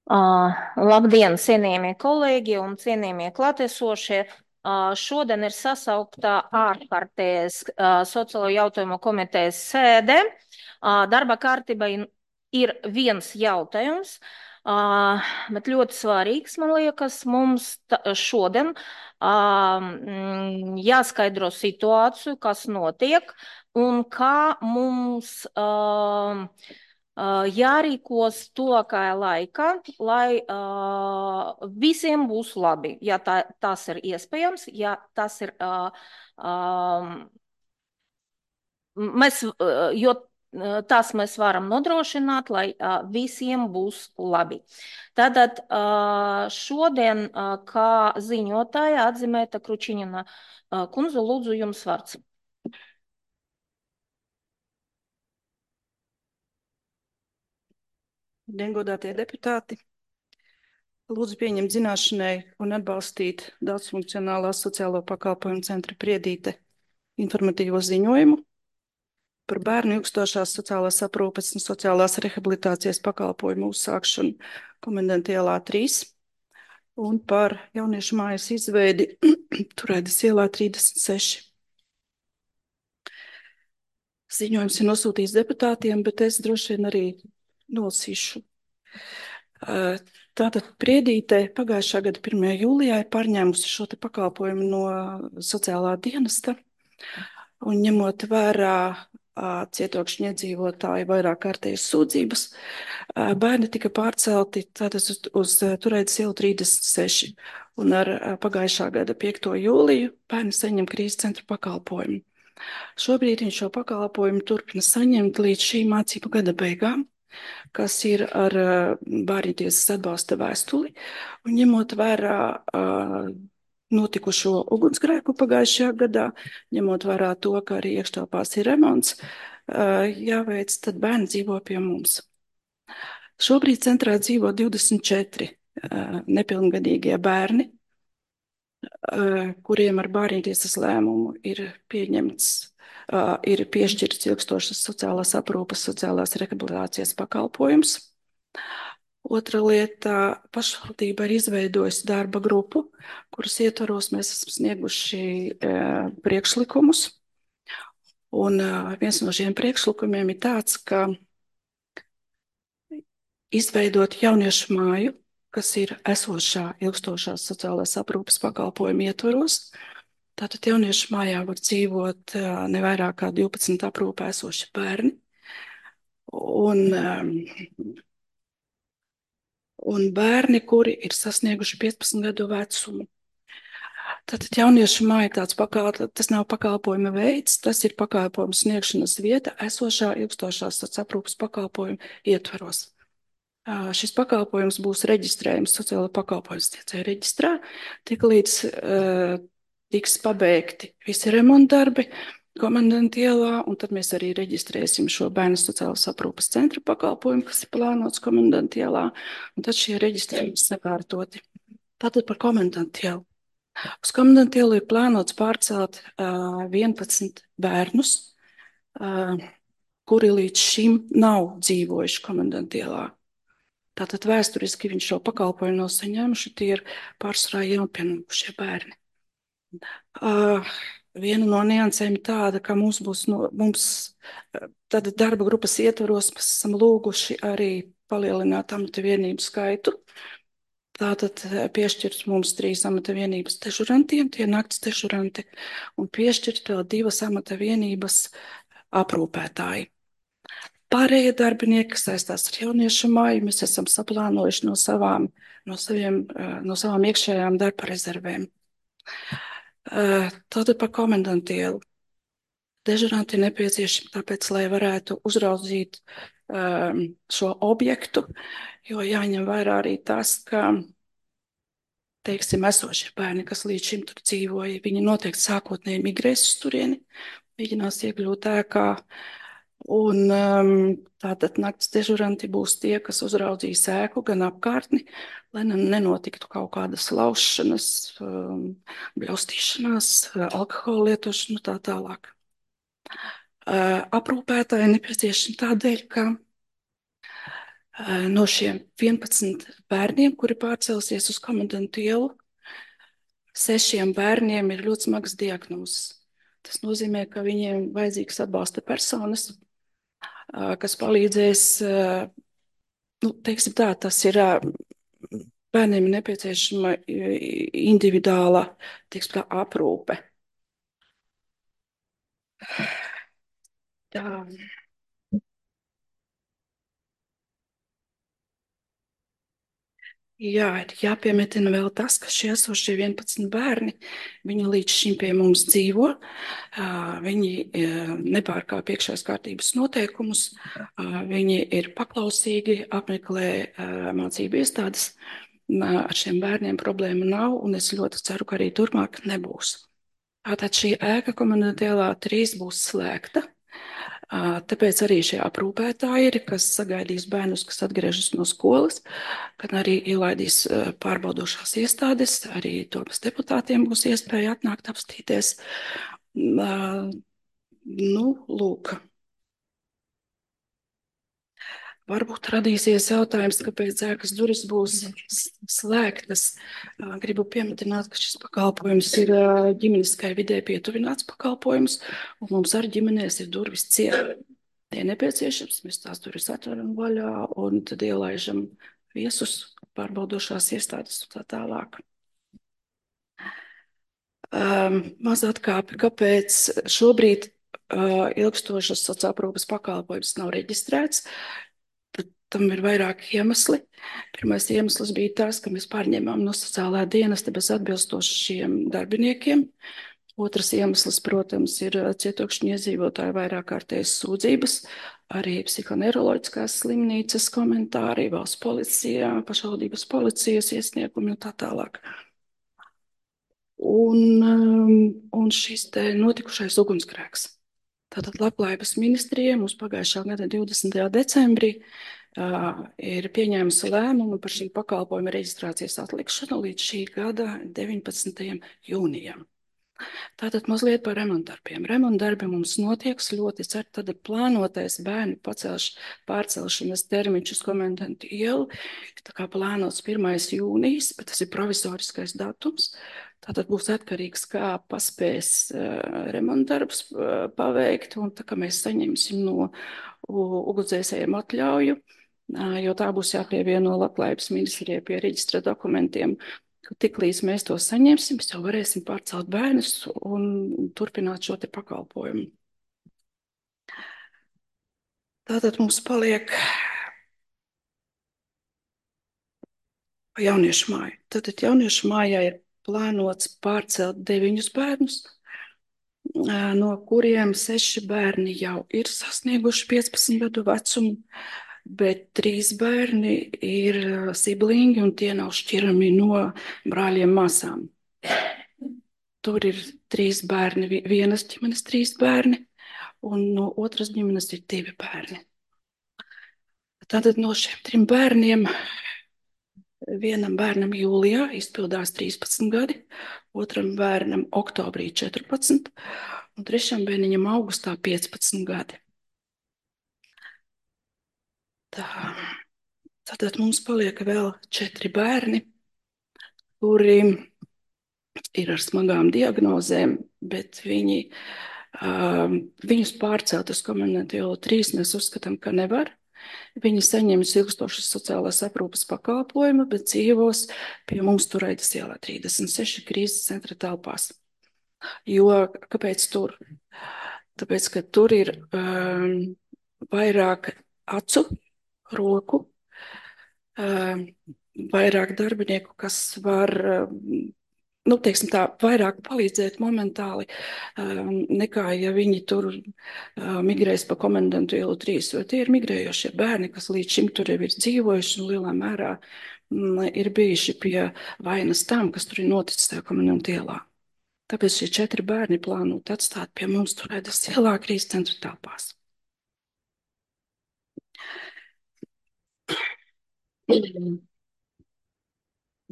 Labdien, cienījamie kolēģi un cienījamie klātesošie! Šodien ir sasaukta ārkārtējas sociālo jautājumu komitejas sēde. Darba kārtība ir viens jautājums, bet ļoti svarīgs, man liekas, mums šodien jāskaidro situāciju, kas notiek un kā mums jārīkos tuvākajā laikā, lai visiem būs labi. Ja tas ir iespējams, ja tas ir mēs, jo tas mēs varam nodrošināt, lai visiem būs labi. Tātad šodien, kā ziņotāja atzīmēta Kručiņina kundze, lūdzu jums vārds. Godātie deputāti, lūdzu pieņemt zināšanai un atbalstīt daudzfunkcionālās sociālo pakalpojumu centra Priedīte informatīvo ziņojumu par bērnu ilgstošās sociālās aprūpes un sociālās rehabilitācijas pakalpojumu uzsākšanu Komendanta ielā 3 un par jauniešu mājas izveidi Turēdas ielā 36. Ziņojums ir nosūtīts deputātiem, bet es droši vien arī nolasīšu. Tātad Priedīte pagājušā gada 1. jūlijā ir pārņēmusi šo te pakalpojumu no sociālā dienesta un ņemot vērā cietokšņu iedzīvotāju vairāk kārtējas sūdzības, bērni tika pārcelti tātad uz Turēdas ielu 36 un ar pagājušā gada 5. jūliju bērni saņem krīzes centra pakalpojumu. Šobrīd viņš šo pakalpojumu turpina saņemt līdz šī mācību gada beigām, kas ir ar bērntiesas atbalsta vēstuli, un ņemot vērā notikušo ugunsgrēku pagājušajā gadā, ņemot vērā to, ka arī iekštelpās ir remonts, jāveic, tad bērni dzīvo pie mums. Šobrīd centrā dzīvo 24 nepilngadīgie bērni, kuriem ar bērntiesas lēmumu ir pieņemts ir piešķirts ilgstošas sociālās aprūpes, sociālās rehabilitācijas pakalpojums. Otra lieta, pašvaldība ir izveidojusi darba grupu, kuras ietvaros mēs esam snieguši priekšlikumus. Un viens no šiem priekšlikumiem ir tāds, ka izveidot jauniešu māju, kas ir esošā ilgstošās sociālās aprūpes pakalpojuma ietvaros. Tātad jauniešu mājā var dzīvot ne vairāk kā 12 aprūpē esoši bērni. Un bērni, kuri ir sasnieguši 15 gadu vecumu. Tātad jauniešu māja tas nav pakalpojuma veids, tas ir pakalpojuma sniegšanas vieta esošā ilgstošās aprūpes pakalpojuma ietvaros. Šis pakalpojums būs reģistrējams sociāla pakalpojuma sniedzēja reģistrā, tik līdz tiks pabeigti visi remontdarbi Komendanta ielā, un tad mēs arī reģistrēsim šo bērnu sociālās aprūpes centra pakalpojumu, kas ir plānots Komendanta ielā, un tad šie reģistrējumi sakārtoti. Tātad par Komendanta ielu. Uz Komendanta ielu ir plānots pārcelt 11 bērnus, kuri līdz šim nav dzīvojuši Komendanta ielā. Tātad vēsturiski viņš šo pakalpojumu nav saņēmuši, tie ir pārsvarā jaunpienākušie bērni. Viena no niansēm ir tāda, ka mums tāda darba grupas ietvaros mēs esam lūguši arī palielināt amata vienību skaitu. Tātad piešķirt mums 3 amata vienības dežurantiem, tie nakts dežuranti, un piešķirt vēl 2 amata vienības aprūpētāji. Pārējie darbinieki, kas saistās ar jauniešu māju, mēs esam saplānojuši no savām iekšējām darba rezervēm. Tātad par Komendanta ielu. Dežuranti ir nepieciešami tāpēc, lai varētu uzraudzīt šo objektu, jo jāņem vērā arī tas, ka, teiksim, esošie bērni, kas līdz šim tur dzīvoja, viņi noteikti sākotnēji migrēs uz turieni, mēģinās iekļūt ēkā. Un tātad nakts dežuranti būs tie, kas uzraudzīs ēku gan apkārtni, lai nenotiktu kaut kādas laušanas, bļaustīšanās, alkohola lietošana tā tālāk. Aprūpētāji nepieciešami tādēļ, ka No šiem 11 bērniem, kuri pārcelsies uz komendantu ielu, 6 bērniem ir ļoti smagas diagnozes. Tas nozīmē, ka viņiem vajadzīgs atbalsta personas, kas palīdzēs, nu, teiksim tā, tas ir bērniem ir nepieciešama individuāla, teiksim tā, aprūpe. Tā. Jā, ir jāpiemetina vēl tas, ka šie esošie 11 bērni, viņi līdz šim pie mums dzīvo, viņi nepārkāpj iekšējās kārtības noteikumus, viņi ir paklausīgi, apmeklē mācību iestādes. Ar šiem bērniem problēma nav, un es ļoti ceru, ka arī turpmāk nebūs. Tātad šī ēka komunitēlā 3 būs slēgta. Tāpēc arī šie aprūpētāji ir, kas sagaidīs bērnus, kas atgriežas no skolas, kad arī ielaidīs pārbaudošās iestādes, arī domas deputātiem būs iespēja atnākt apstīties. Nu, lūk. Varbūt radīsies jautājums, kāpēc ēkas durvis būs slēgtas. Gribu pieminēt, ka šis pakalpojums ir ģimeniskai vidē pietuvināts pakalpojums, un mums ar ģimenēs ir durvis ciet. Tie nepieciešams, mēs tās durvis atveram vaļā un tad ielaižam viesus, pārbaudošās iestādes un tā tālāk. Maz atkāpi, kāpēc šobrīd ilgstošas sociālās aprūpes pakalpojums nav reģistrēts. Tam ir vairāki iemesli. Pirmais iemesls bija tas, ka mēs pārņēmām no sociālā dienesta bez atbilstošiem darbiniekiem. Otrs iemesls, protams, ir cietokšņu iedzīvotāju vairāk kārtējas sūdzības, arī psihoneiroloģiskās slimnīcas komentāri, valsts policijā, pašvaldības policijas iesniegumi un tā tālāk. Un šis te notikušais ugunsgrēks. Tātad Labklājības ministrija mums pagājušā gada 20. decembrī ir pieņēmusi lēmumu par šī pakalpojuma reģistrācijas atlikšanu līdz šī gada 19. jūnijam. Tātad mazliet par remontdarbiem. Remontdarbi mums notiek ļoti cer, tad ir plānotais bērnu pārcelšanas termiņš uz komendantu ielu. Tā kā plānots 1. jūnijas, bet tas ir provizoriskais datums. Tātad būs atkarīgs, kā paspēs remontdarbs paveikt, un tā kā mēs saņemsim no ugunsdzēsējiem atļauju, jo tā būs jāpievieno Labklājības ministrijai pie reģistra dokumentiem. Tiklīdz mēs to saņemsim, mēs jau varēsim pārcelt bērnus un turpināt šo te pakalpojumu. Tātad mums paliek jauniešu māja. Tātad jauniešu mājā ir plānots pārcelt 9 bērnus, no kuriem 6 bērni jau ir sasnieguši 15 gadu vecumu, bet 3 bērni ir siblingi un tie nav šķirami no brāļiem māsām. Tur ir 3 bērni, vienas ģimenes 3 bērni, un no otras ģimenes ir 2 bērni. Tātad no šiem 3 bērniem vienam bērnam jūlijā izpildās 13 gadi, otram bērnam oktobrī 14, un trešam bērniņam augustā 15 gadi. Tātad mums paliek vēl 4 bērni, kuri ir ar smagām diagnozēm, bet viņus pārcelt uz komendantu ielu 3 mēs uzskatām, ka nevar. Viņi saņems ilgstošas sociālās aprūpes pakalpojumu, bet dzīvos pie mums Turaidas ielā 36 krīzes centra telpās. Jo, kāpēc tur? Tāpēc, ka tur ir vairāk acu, roku, vairāk darbinieku, kas var, nu, teiksim tā, vairāk palīdzēt momentāli, nekā, ja viņi tur migrēs pa komendantu ielu 3, jo tie ir migrējošie bērni, kas līdz šim tur jau ir dzīvojuši un lielā mērā ir bijuši pie vainas tam, kas tur ir noticis tajā komendantu ielā. Tāpēc šie 4 bērni plānot atstāt pie mums Turaidas ielā krīzes centra telpās.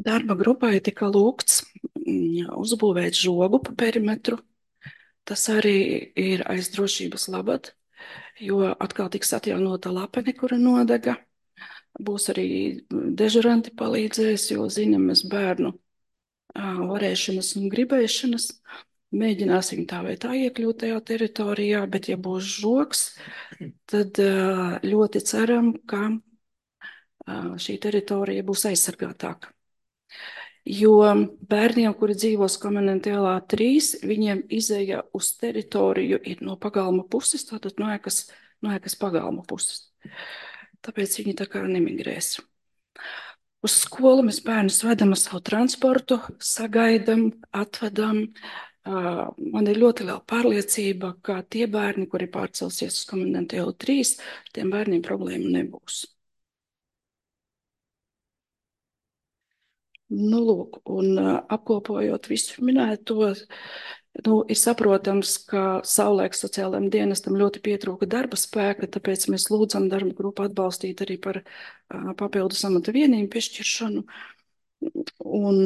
Darba grupai tika lūgts uzbūvēt žogu pa perimetru. Tas arī ir aiz drošības labad, jo atkal tiks atjaunota lapene, kura nodega. Būs arī dežuranti palīdzēs, jo zinām mēs bērnu varēšanas un gribēšanas. Mēģināsim tā vai tā iekļūt tajā teritorijā, bet ja būs žoks, tad ļoti ceram, ka šī teritorija būs aizsargātāka. Jo bērniem, kuri dzīvos Komendantu ielā 3, viņiem izēja uz teritoriju ir no pagalma puses, tātad no ēkas pagalma puses. Tāpēc viņi tā kā nemigrēs. Uz skolu mēs bērnus vedam ar savu transportu, sagaidam, atvedam. Man ir ļoti liela pārliecība, ka tie bērni, kuri pārcelsies uz Komendantu ielu 3, ar tiem bērniem problēmu nebūs. Nu, lūk, un apkopojot visu minēto, ir saprotams, ka savulaik sociālajiem dienestam ļoti pietrūka darba spēka, tāpēc mēs lūdzam darba grupu atbalstīt arī par papildus amata vienību piešķiršanu. Un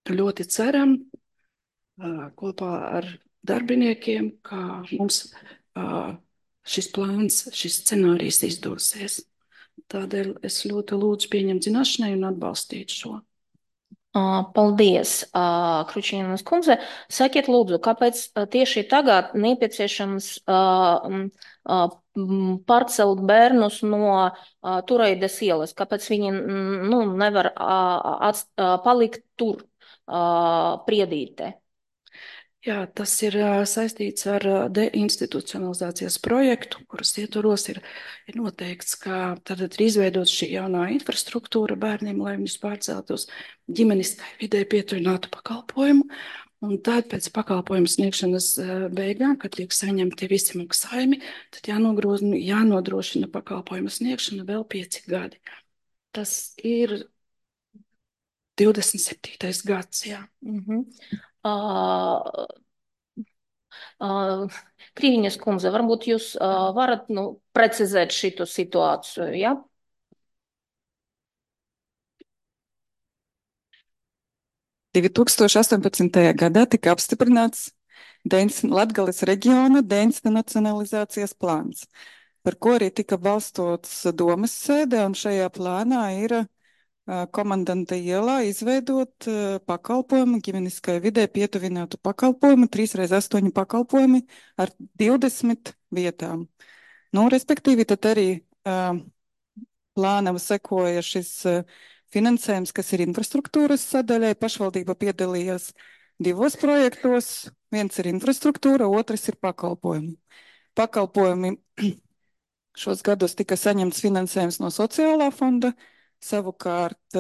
ļoti ceram kopā ar darbiniekiem, ka mums šis plāns, šis scenārijs izdosies. Tādēļ es ļoti lūdzu pieņemt zināšanai un atbalstīt šo. Paldies, Kručīnas kundze. Sakiet, lūdzu, kāpēc tieši tagad nepieciešams pārcelt bērnus no Tureides ielas? Kāpēc viņi nevar palikt tur, Priedītē? Jā, tas ir saistīts ar deinstitucionalizācijas projektu, kuras ietvaros ir noteikts, ka tad ir izveidot šī jaunā infrastruktūra bērniem, lai viņus pārceltu uz ģimeniskai vidē pietuvinātu pakalpojumu. Un tad pēc pakalpojumu sniegšanas beigām, kad tiek saņemti visi maksājumi, tad jānodrošina pakalpojumu sniegšana vēl 5 gadi. Tas ir 27. gads, jā. Krīviņas kundze, varbūt jūs varat precizēt šito situāciju, ja? Ja? 2018. gadā tika apstiprināts Latgales reģiona deinstitucionalizācijas plāns, par ko arī tika balstots domas sēdē, un šajā plānā ir Komandanta ielā izveidot pakalpojumu, ģimeniskai vidē pietuvinātu pakalpojumu, 3x8 pakalpojumi ar 20 vietām. Respektīvi, tad arī plānam sekoja šis finansējums, kas ir infrastruktūras sadaļai. Pašvaldība piedalījās 2 projektos. Viens ir infrastruktūra, otrs ir pakalpojumi. Pakalpojumi šos gados tika saņemts finansējums no sociālā fonda. Savukārt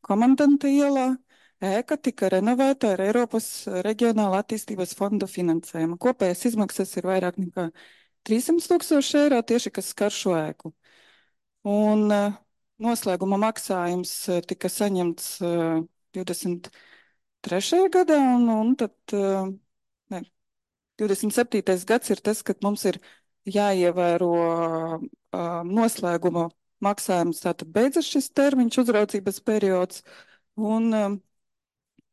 Komandanta ielā ēka tika renovēta ar Eiropas reģionāla attīstības fonda finansējumu. Kopējais izmaksas ir vairāk nekā 300 000 eiro tieši, kas skar šo ēku. Un noslēguma maksājums tika saņemts 23. gadā, un tad 27. gads ir tas, kad mums ir jāievēro noslēguma maksājums, tātad beidzas šis termiņš, uzraudzības periods, un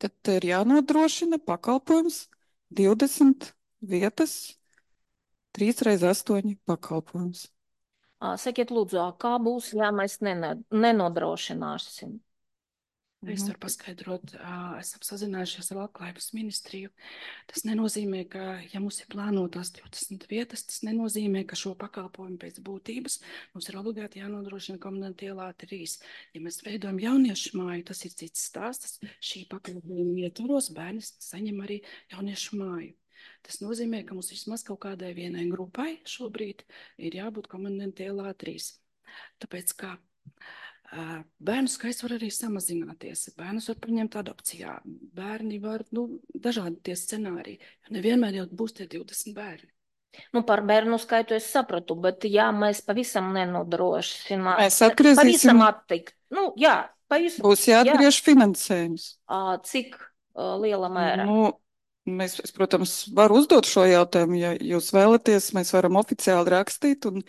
tad ir jānodrošina pakalpojums 20 vietas, 3x8 pakalpojums. Sakiet, lūdzu, kā būs, ja mēs nenodrošināsim? Es varu paskaidrot, esam sazinājušies ar Labklājības ministriju. Tas nenozīmē, ka, ja mums ir plānotās 20 vietas, tas nenozīmē, ka šo pakalpojumu pēc būtības mums ir obligāti jānodrošina Komandanta ielā 3. Ja mēs veidojam jauniešu māju, tas ir cits stāsts. Šī pakalpojuma ietvaros bērni saņem arī jauniešu māju. Tas nozīmē, ka mums vismaz kaut kādai vienai grupai šobrīd ir jābūt Komandanta ielā 3. Tāpēc kā bērnu skaits var arī samazināties. Bērnus var paņemt adopcijā. Bērni var, dažādi tie scenāriji. Jo nevienmēr jau būs tie 20 bērni. Par bērnu skaitu es sapratu, bet ja mēs pavisam nenodrošinām, mēs atgriezīsim. Pavisam attikt. Jā, pavisam. Būs jāatgriež finansējums. Cik liela mērā? Es, protams, varu uzdot šo jautājumu, ja jūs vēlaties, mēs varam oficiāli rakstīt un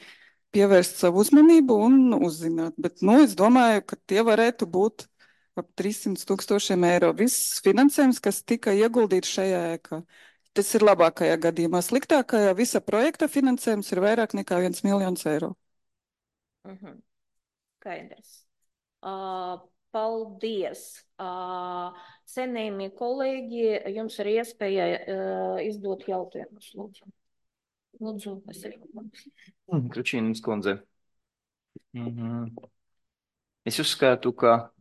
pievērst savu uzmanību un uzzināt. Bet, es domāju, ka tie varētu būt ap 300 000 eiro. Viss finansējums, kas tika ieguldīts šajā ēkā. Tas ir labākajā gadījumā. Sliktākajā visa projekta finansējums ir vairāk nekā 1 miljons eiro. Skaidrs. Paldies. Cienījamie kolēģi, jums ir iespēja izdot jautājumus. Lūdzu. Lūdzu, Kručīnas kundze. Es uzskatu, ka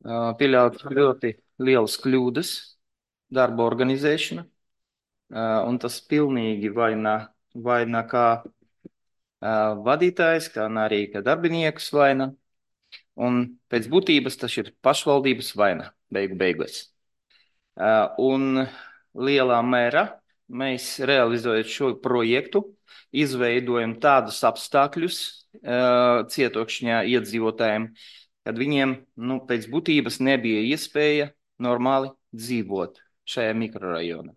pieļaut ļoti lielas kļūdas darba organizēšana, un tas pilnīgi vaina kā vadītājs, kā arī kā darbiniekus vaina, un pēc būtības tas ir pašvaldības vaina beigās. Un lielā mērā mēs realizējot šo projektu, izveidojam tādus apstākļus cietokšņā iedzīvotājiem, kad viņiem pēc būtības nebija iespēja normāli dzīvot šajā mikrorajonā.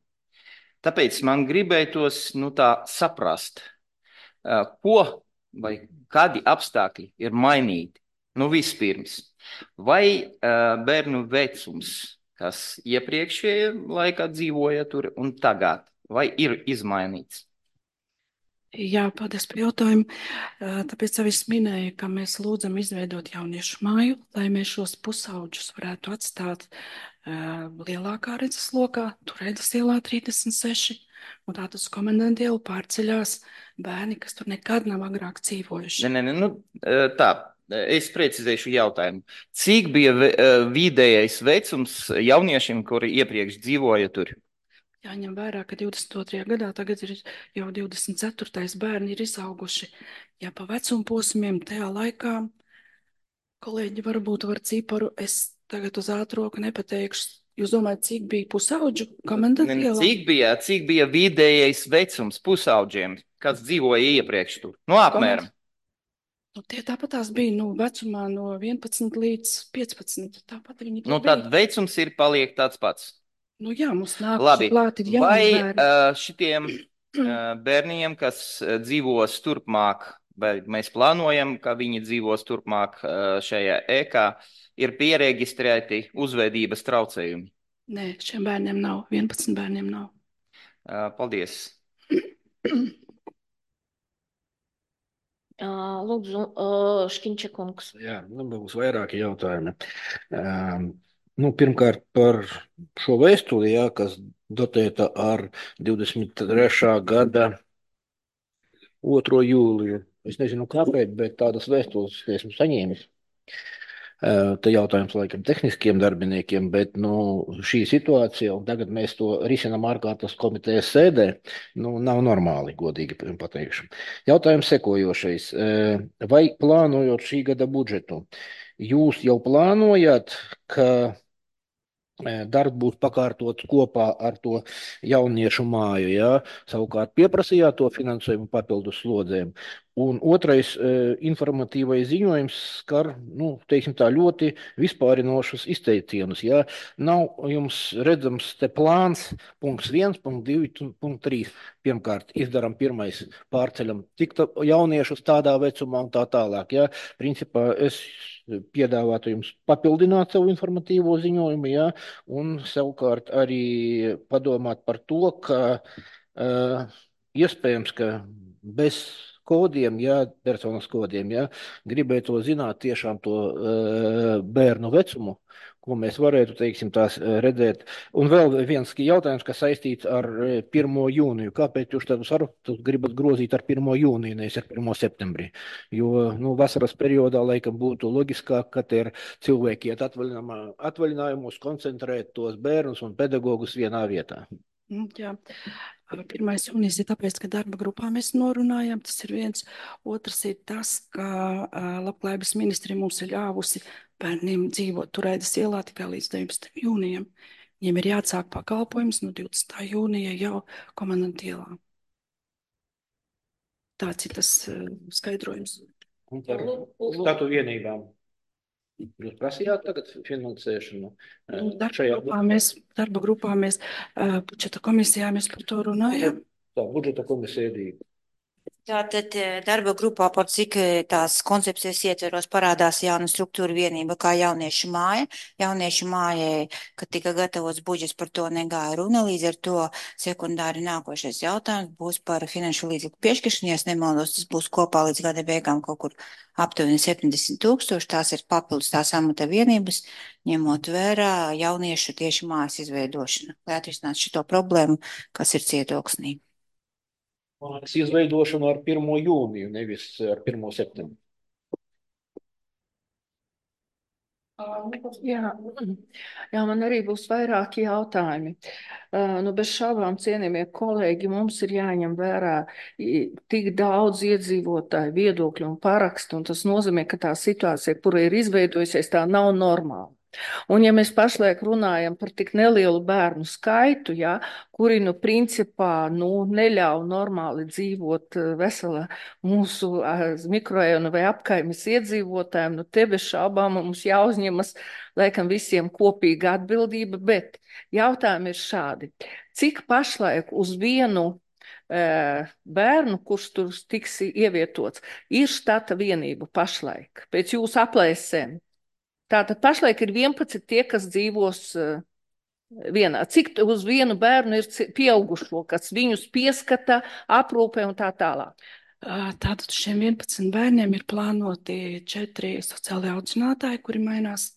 Tāpēc man gribētos tā saprast, ko vai kādi apstākļi ir mainīti. Vispirms, vai bērnu vecums, kas iepriekšējā laikā dzīvoja tur un tagad, vai ir izmainīts? Jā, paldies par jautājumu. Tāpēc jau es minēju, ka mēs lūdzam izveidot jauniešu māju, lai mēs šos pusauģus varētu atstāt lielākā redzeslokā, Turēdas ielā 36, un tātad uz Komendantu ielu pārceļās bērni, kas tur nekad nav agrāk dzīvojuši. Tā, es precizēšu jautājumu. Cik bija vidējais vecums jauniešiem, kuri iepriekš dzīvoja tur? Jāņem vērā, ka 22. gadā tagad ir jau 24. bērni ir izauguši. Ja pa vecuma posmiem tajā laikā, kolēģi varbūt var ciparu, es tagad uz ātroku nepateikšu. Jūs domājat, cik bija pusauģu Komendantu ielā? Cik bija vidējais vecums pusauģiem, kas dzīvoja iepriekš tur? Apmēram. Tie tāpatās bija vecumā no 11 līdz 15. Tāpat viņi tur bija. Tad vecums paliek tāds pats. Jā, mums nāk klāt ir jauni bērni. Vai šitiem bērniem, kas dzīvos turpmāk, vai mēs plānojam, ka viņi dzīvos turpmāk šajā ēkā, ir pieregistrēti uzvedības traucējumi? Nē, šiem bērniem nav, 11 bērniem nav. Paldies. Lūdzu, Škiņčakungs. Jā, būs vairāki jautājumi. Pirmkārt par šo vēstuli, kas datēta ar 23. gada 2. jūliju. Es nezinu kāpēc, bet tādas vēstules esmu saņēmis. Te jautājums laikam tehniskiem darbiniekiem, bet šī situācija, un tagad mēs to risinām ārkārtas komitejas sēdē, nav normāli, godīgi pateikšu. Jautājums sekojošais. Vai plānojot šī gada budžetu, jūs jau plānojat, ka darbs būs pakārtots kopā ar to jauniešu māju, savukārt pieprasījāt to finansējumu papildus slodzēm? Un otrais informatīvais ziņojums skar, teiksim tā, ļoti vispārinošus izteicienus. Nav jums redzams te plāns, punkts 1, punkts 2, punkts 3. Pirmkārt, izdaram pirmais, pārceļam tik jauniešus tādā vecumā un tā tālāk. Principā es piedāvātu jums papildināt savu informatīvo ziņojumu, un savukārt arī padomāt par to, ka iespējams, ka bez kodiem, personas kodiem, gribētu zināt tiešām to bērnu vecumu, ko mēs varētu, teiksim, tās redzēt. Un vēl viens jautājums, kas saistīts ar 1. jūniju. Kāpēc jūs tādus sarunas gribat grozīt ar 1. jūniju, nevis ar 1. septembrī? Jo, vasaras periodā laikam būtu loģiskāk, ka ir cilvēki iet atvaļinājumos, koncentrēt tos bērnus un pedagogus vienā vietā. Jā. 1. jūnijas ir tāpēc, ka darba grupā mēs norunājam, tas ir viens. Otrs ir tas, ka Labklājības ministrija mums ir ļāvusi bērniem dzīvot Turēdas ielā tikai līdz 19. jūnijam. Viņiem ir jāatsāk pakalpojums no 20. jūnija jau Komendantu ielā. Tāds ir tas skaidrojums. Un par statu vienībām. Jūs prasījāt tagad finansēšanu? Darba grupā mēs, budžeta komisijā mēs par to runājam. Tā, budžeta komisija ir. Tātad darba grupā par cik tās koncepcijas ietveros parādās jauna struktūra vienība kā jauniešu māja. Jauniešu mājai, kad tika gatavots budžets, par to negāja runa, līdz ar to sekundāri nākošais jautājums būs par finanšu līdzekļu piešķiršanu. Ja es nemaldos, tas būs kopā līdz gada beigām kaut kur aptuveni 70 000. Tās ir papildus tās amata vienības, ņemot vērā jauniešu tieši mājas izveidošanu, lai atrisinātu šito problēmu, kas ir Cietoksnī. Mājas izveidošanu ar 1. jūniju, nevis ar 1. septembri. Jā, man arī būs vairāki jautājumi. Nu, bez šaubām, cienījamie kolēģi, mums ir jāņem vērā tik daudz iedzīvotāju viedokļu un parakstu, un tas nozīmē, ka tā situācija, kura ir izveidojusies, tā nav normāla. Un ja mēs pašlaik runājam par tik nelielu bērnu skaitu, ja, kuri, principā, neļauj normāli dzīvot vesela mūsu mikrorajona vai apkaimes iedzīvotājiem, te bez šaubām mums jāuzņemas, laikam, visiem kopīga atbildība, bet jautājumi ir šādi. Cik pašlaik uz vienu bērnu, kurš tur tiks ievietots, ir štata vienība pašlaik, pēc jūsu aplēsēm? Tātad pašlaik ir 11 tie, kas dzīvos vienā. Cik uz vienu bērnu ir pieaugušo, kas viņus pieskata, aprūpē un tā tālāk? Tātad šiem 11 bērniem ir plānoti 4 sociālai audzinātāji, kuri mainās,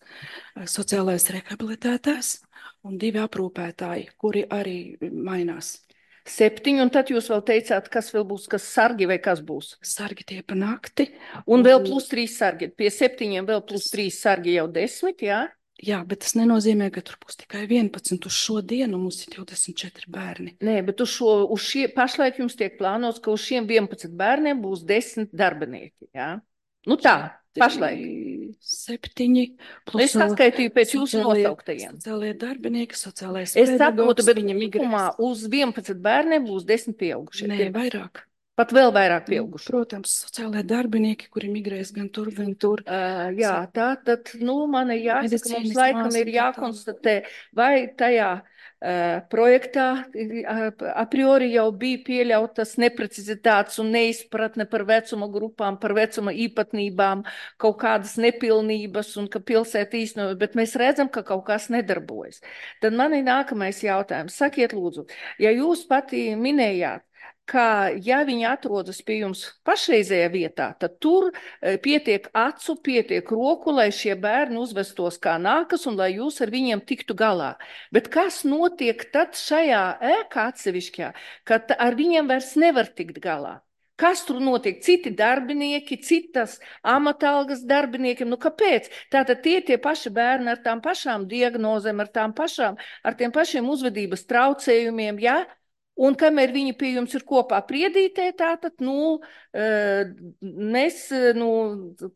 sociālais rehabilitētājs un 2 aprūpētāji, kuri arī mainās. 7, un tad jūs vēl teicāt, kas vēl būs, kas sargi vai kas būs? Sargi tie pa nakti. Un vēl plus 3 sargi. Pie 7 vēl plus 3 sargi jau 10, jā? Jā, bet tas nenozīmē, ka tur būs tikai 11. Uz šo dienu mums ir 24 bērni. Nē, bet pašlaik jums tiek plānots, ka uz šiem 11 bērniem būs 10 darbinieki, jā? Nu tā, pašlaik. 7. Plus es saskaitīju pēc jūsu nosauktajiem. Sociālie darbinieki, sociālais pedagogs. Es saprotu, bet viņam uz 11 bērniem būs 10 pieaugušie. Nē, vairāk. Pat vēl vairāk pieauguši. Protams, sociālajie darbinieki, kuri migrēs gan tur, gan tur. Jā, tātad, man ir jāsaka, mums laikam ir jākonstatē, vai tajā projektā a priori jau bija pieļautas neprecizitātes un neizpratne par vecuma grupām, par vecuma īpatnībām, kaut kādas nepilnības un ka pilsēta īstenoja, bet mēs redzam, ka kaut kas nedarbojas. Tad man ir nākamais jautājums. Sakiet lūdzu, ja jūs pati minējāt, ka, ja viņi atrodas pie jums pašreizējā vietā, tad tur pietiek acu, pietiek roku, lai šie bērni uzvestos kā nākas un lai jūs ar viņiem tiktu galā. Bet kas notiek tad šajā ēkā atsevišķajā, kad ar viņiem vairs nevar tikt galā? Kas tur notiek? Citi darbinieki, citas amatalgas darbiniekiem. Kāpēc? Tātad tie paši bērni ar tām pašām diagnozēm, ar tiem pašiem uzvedības traucējumiem, jā? Un kamēr viņi pie jums ir kopā priedītē, tātad, mēs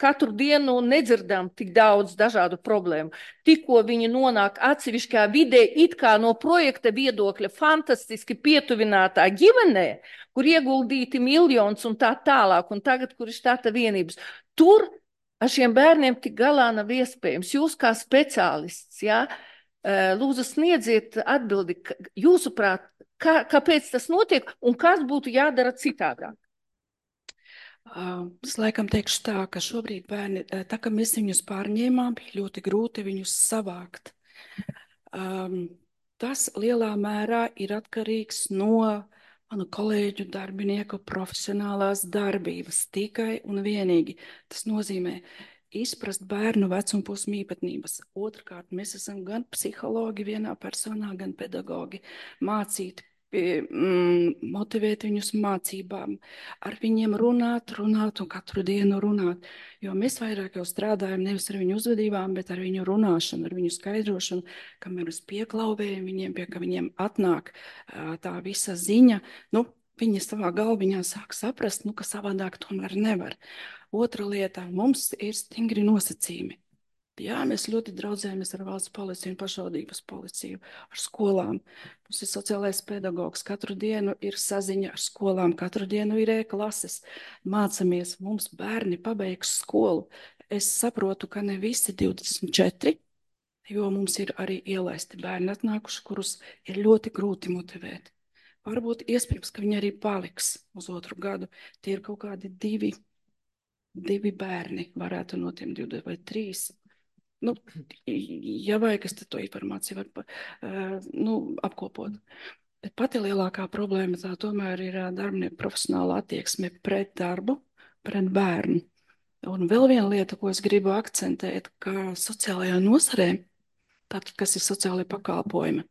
katru dienu nedzirdam tik daudz dažādu problēmu. Tikko viņi nonāk atsevišķā vidē, it kā no projekta viedokļa fantastiski pietuvinātā ģimenē, kur ieguldīti miljonus un tā tālāk, un tagad, kur ir štata vienības, tur ar šiem bērniem tik galā nav iespējams. Jūs kā speciālists, jā, lūdzu sniedziet atbildi, jūsuprāt, kāpēc tas notiek un kas būtu jādara citādāk? Es laikam teikšu tā, ka šobrīd bērni, tā kā mēs viņus pārņēmām, bija ļoti grūti viņus savākt. Tas lielā mērā ir atkarīgs no manu kolēģu darbinieku profesionālās darbības tikai un vienīgi. Tas nozīmē izprast bērnu vecumposmu īpatnības. Otrkārt, mēs esam gan psihologi vienā personā, gan pedagogi. Mācīt, motivēt viņus mācībām, ar viņiem runāt un katru dienu runāt. Jo mēs vairāk jau strādājam nevis ar viņu uzvedībām, bet ar viņu runāšanu, ar viņu skaidrošanu, kamēr mēs pieklauvējam viņiem, pie ka viņiem atnāk tā visa ziņa. Viņi savā galviņā sāk saprast, ka savādāk tomēr nevar. Otra lieta, mums ir stingri nosacījumi. Jā, mēs ļoti draudzējamies ar valsts policiju un pašvaldības policiju, ar skolām. Mums ir sociālais pedagogs, katru dienu ir saziņa ar skolām, katru dienu ir e-klases. Mācamies, mums bērni pabeigs skolu. Es saprotu, ka ne visi 24, jo mums ir arī ielaisti bērni atnākuši, kurus ir ļoti grūti motivēt. Varbūt iespējams, ka viņi arī paliks uz otru gadu. Tie ir kaut kādi divi bērni, varētu no tiem 2 vai 3. Nu, ja vajag, es to informāciju varu apkopot. Bet pati lielākā problēma tā tomēr ir darbinieku profesionāla attieksme pret darbu, pret bērnu. Un vēl viena lieta, ko es gribu akcentēt, ka sociālajā nozarē, tātad, kas ir sociālai pakalpojumi,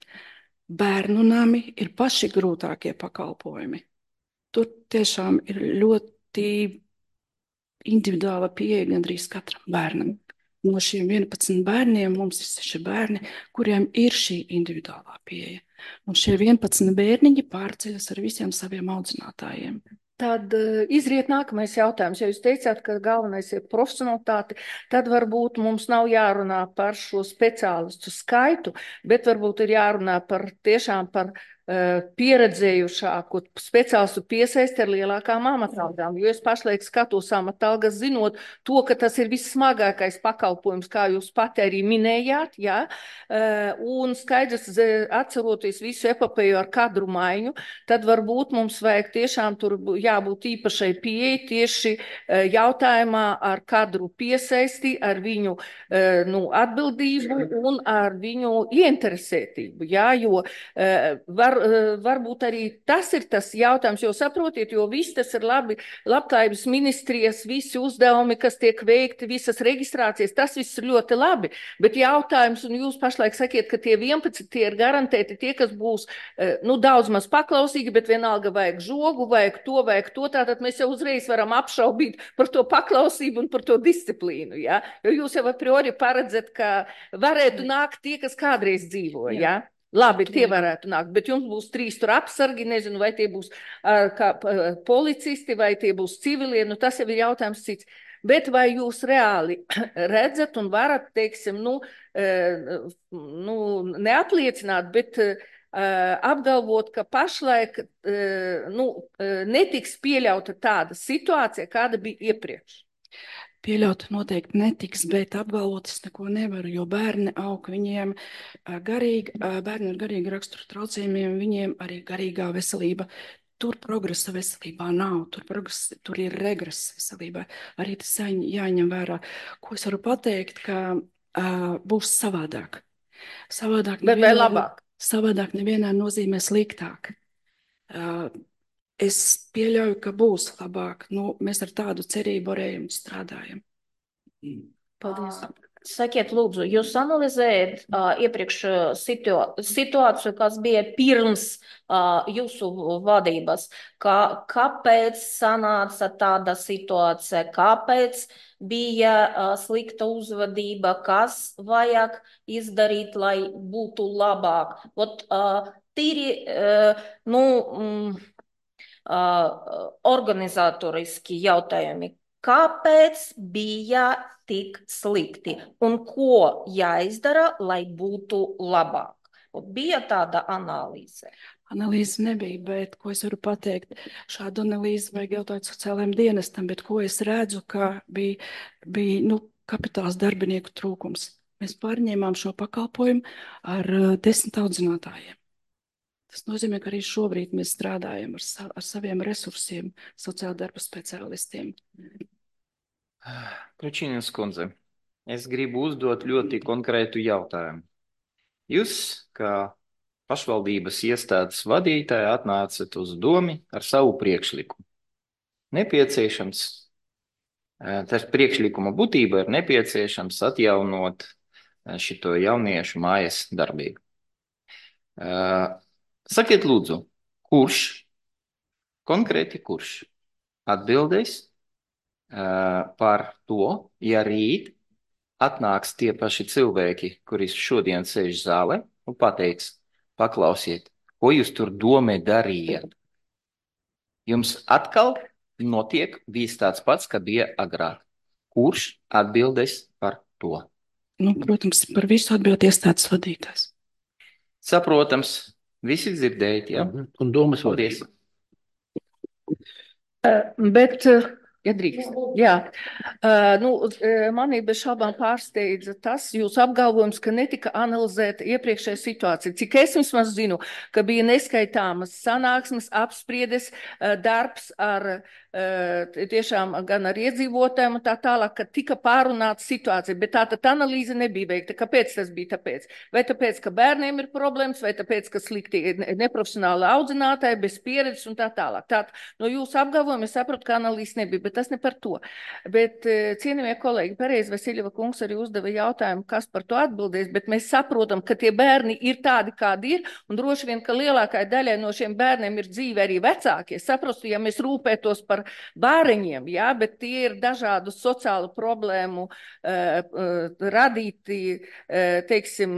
bērnu nami ir paši grūtākie pakalpojumi. Tur tiešām ir ļoti individuāla pieeja gandrīz katram bērnam. No šiem 11 bērniem mums ir 6 bērni, kuriem ir šī individuālā pieeja. Un šie 11 bērniņi pārceļas ar visiem saviem audzinātājiem. Tad izriet nākamais jautājums. Ja jūs teicāt, ka galvenais ir profesionalitāte, tad varbūt mums nav jārunā par šo speciālistu skaitu, bet varbūt ir jārunā tiešām par pieredzējušāku speciālistu piesaisti ar lielākām amatalgām. Jo es pašlaik skatos amatalgas, zinot to, ka tas ir vissmagākais pakalpojums, kā jūs pati arī minējāt, jā, un skaidrs, atceroties visu epopēju ar kadru maiņu, tad varbūt mums vajag tiešām tur jābūt īpašai pieeja tieši jautājumā ar kadru piesaisti, ar viņu atbildību un ar viņu ieinteresētību, jā, jo varbūt arī tas ir tas jautājums, jo saprotiet, jo viss tas ir labi, labklājības ministrijas, visi uzdevumi, kas tiek veikti, visas reģistrācijas, tas viss ir ļoti labi, bet jautājums, un jūs pašlaik sakiet, ka tie 11 tie ir garantēti tie, kas būs, daudz maz paklausīgi, bet vienalga vajag žogu, vajag to, tātad mēs jau uzreiz varam apšaubīt par to paklausību un par to disciplīnu, ja? Jo jūs jau a priori paredzat, ka varētu nākt tie, kas kādreiz dzīvo, ja? Labi, tie varētu nākt, bet jums būs 3 tur apsargi, nezinu, vai tie būs kā policisti, vai tie būs civilie, tas jau ir jautājums cits. Bet vai jūs reāli redzat un varat, teiksim, neapliecināt, bet apgalvot, ka pašlaik netiks pieļauta tāda situācija, kāda bija iepriekš? Pieļaut noteikti netiks, bet apgalvot es neko nevaru, jo bērni aug, viņiem bērni ar garīgu raksturu traucējumiem, viņiem arī garīgā veselība. Tur progresa veselībā nav, tur ir regress veselībā. Arī tas jāņem vērā. Ko es varu pateikt, ka būs savādāk. Bet vai labāk? Savādāk nevienā nozīmē sliktāk. Es pieļauju, ka būs labāk. Mēs ar tādu cerību arējumu strādājam. Paldies. Sakiet, lūdzu, jūs analizējat iepriekš situāciju, kas bija pirms jūsu vadības. Kāpēc sanāca tāda situācija? Kāpēc bija slikta uzvedība? Kas vajag izdarīt, lai būtu labāk? Tīri, organizatoriski jautājumi. Kāpēc bija tik slikti un ko jāizdara, lai būtu labāk? Bija tāda analīze? Analīze nebija, bet ko es varu pateikt? Šādu analīzi vajag jautāt sociālajiem dienestam, bet ko es redzu, ka bija kapitāls darbinieku trūkums. Mēs pārņēmām šo pakalpojumu ar 10 audzinātājiem. Tas nozīmē, ka arī šobrīd mēs strādājam ar saviem resursiem, sociāla darba speciālistiem. Kručīnas kundze, es gribu uzdot ļoti konkrētu jautājumu. Jūs, kā pašvaldības iestādes vadītāji, atnācat uz domi ar savu priekšlikumu. Nepieciešams, tas priekšlikuma būtība ir nepieciešams atjaunot šito jauniešu mājas darbību. Sakiet, lūdzu, konkrēti kurš atbildēs par to, ja rīt atnāks tie paši cilvēki, kuri šodien sēž zālē un pateiks, paklausiet, ko jūs tur domē darījat? Jums atkal notiek viss tāds pats, kā bija agrāk. Kurš atbildēs par to? Protams, par visu atbild iestādes vadītājs. Saprotams. Visi dzirdējat, jā? Un domas Paldies. Bet Ja drīkst. Jā. Manī bez šaubām pārsteidza tas jūsu apgalvojums, ka netika analizēta iepriekšējā situācija. Cik es vismaz zinu, ka bija neskaitāmas sanāksmes, apspriedes, darbs ar tiešām gan ar iedzīvotājiem un tā tālāk, ka tika pārunāta situācija, bet tātad analīze nebija veikta. Kāpēc tas bija tāpēc? Vai tāpēc, ka bērniem ir problēmas, vai tāpēc, ka slikti neprofesionāli audzinātāji, bez pieredzes un tā tālāk. Tātad no jūsu apgalvojuma es saprotu, ka analīze nebija, bet tas ne par to. Bet, cienījamie kolēģi, pareizi Vasiļeva kungs arī uzdeva jautājumu, kas par to atbildēs, bet mēs saprotam, ka tie bērni ir tādi, kādi ir, un droši vien, ka lielākai daļai no šiem bērniem ir dzīve arī vecākie. Saprastu, ja mēs rūpētos par bāriņiem, jā, bet tie ir dažādu sociālu problēmu radīti, teiksim,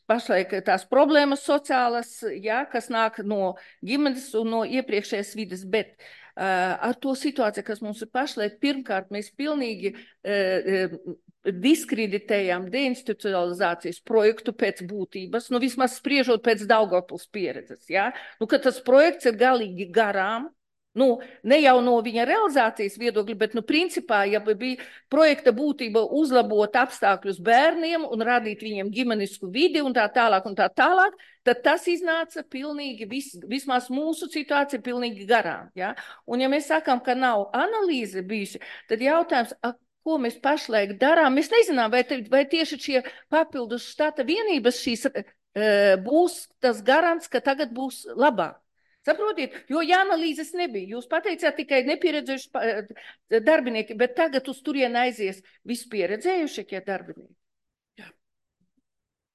pašlaik tās problēmas sociālas, jā, kas nāk no ģimenes un no iepriekšējās vides, bet ar to situāciju, kas mums ir pašlaik, pirmkārt, mēs pilnīgi diskreditējām deinstitucionalizācijas projektu pēc būtības, nu vismaz spriežot pēc Daugavpils pieredzes, ja? Nu, ka tas projekts ir galīgi garām, nu, ne jau no viņa realizācijas viedokļa, bet, nu, principā, ja bija projekta būtība uzlabot apstākļus bērniem un radīt viņiem ģimenisku vidi un tā tālāk, tad tas iznāca pilnīgi, vismaz mūsu situācija pilnīgi garām, ja? Un ja mēs sakām, ka nav analīze bijusi, tad jautājums, ko mēs pašlaik darām, mēs nezinām, vai tieši šie papildus štata vienības šīs būs tas garants, ka tagad būs labāk. Saprotiet, jo analīzes nebija. Jūs pateicāt tikai nepieredzējuši darbinieki, bet tagad uz turien aizies vispieredzējušie darbinieki. Jā.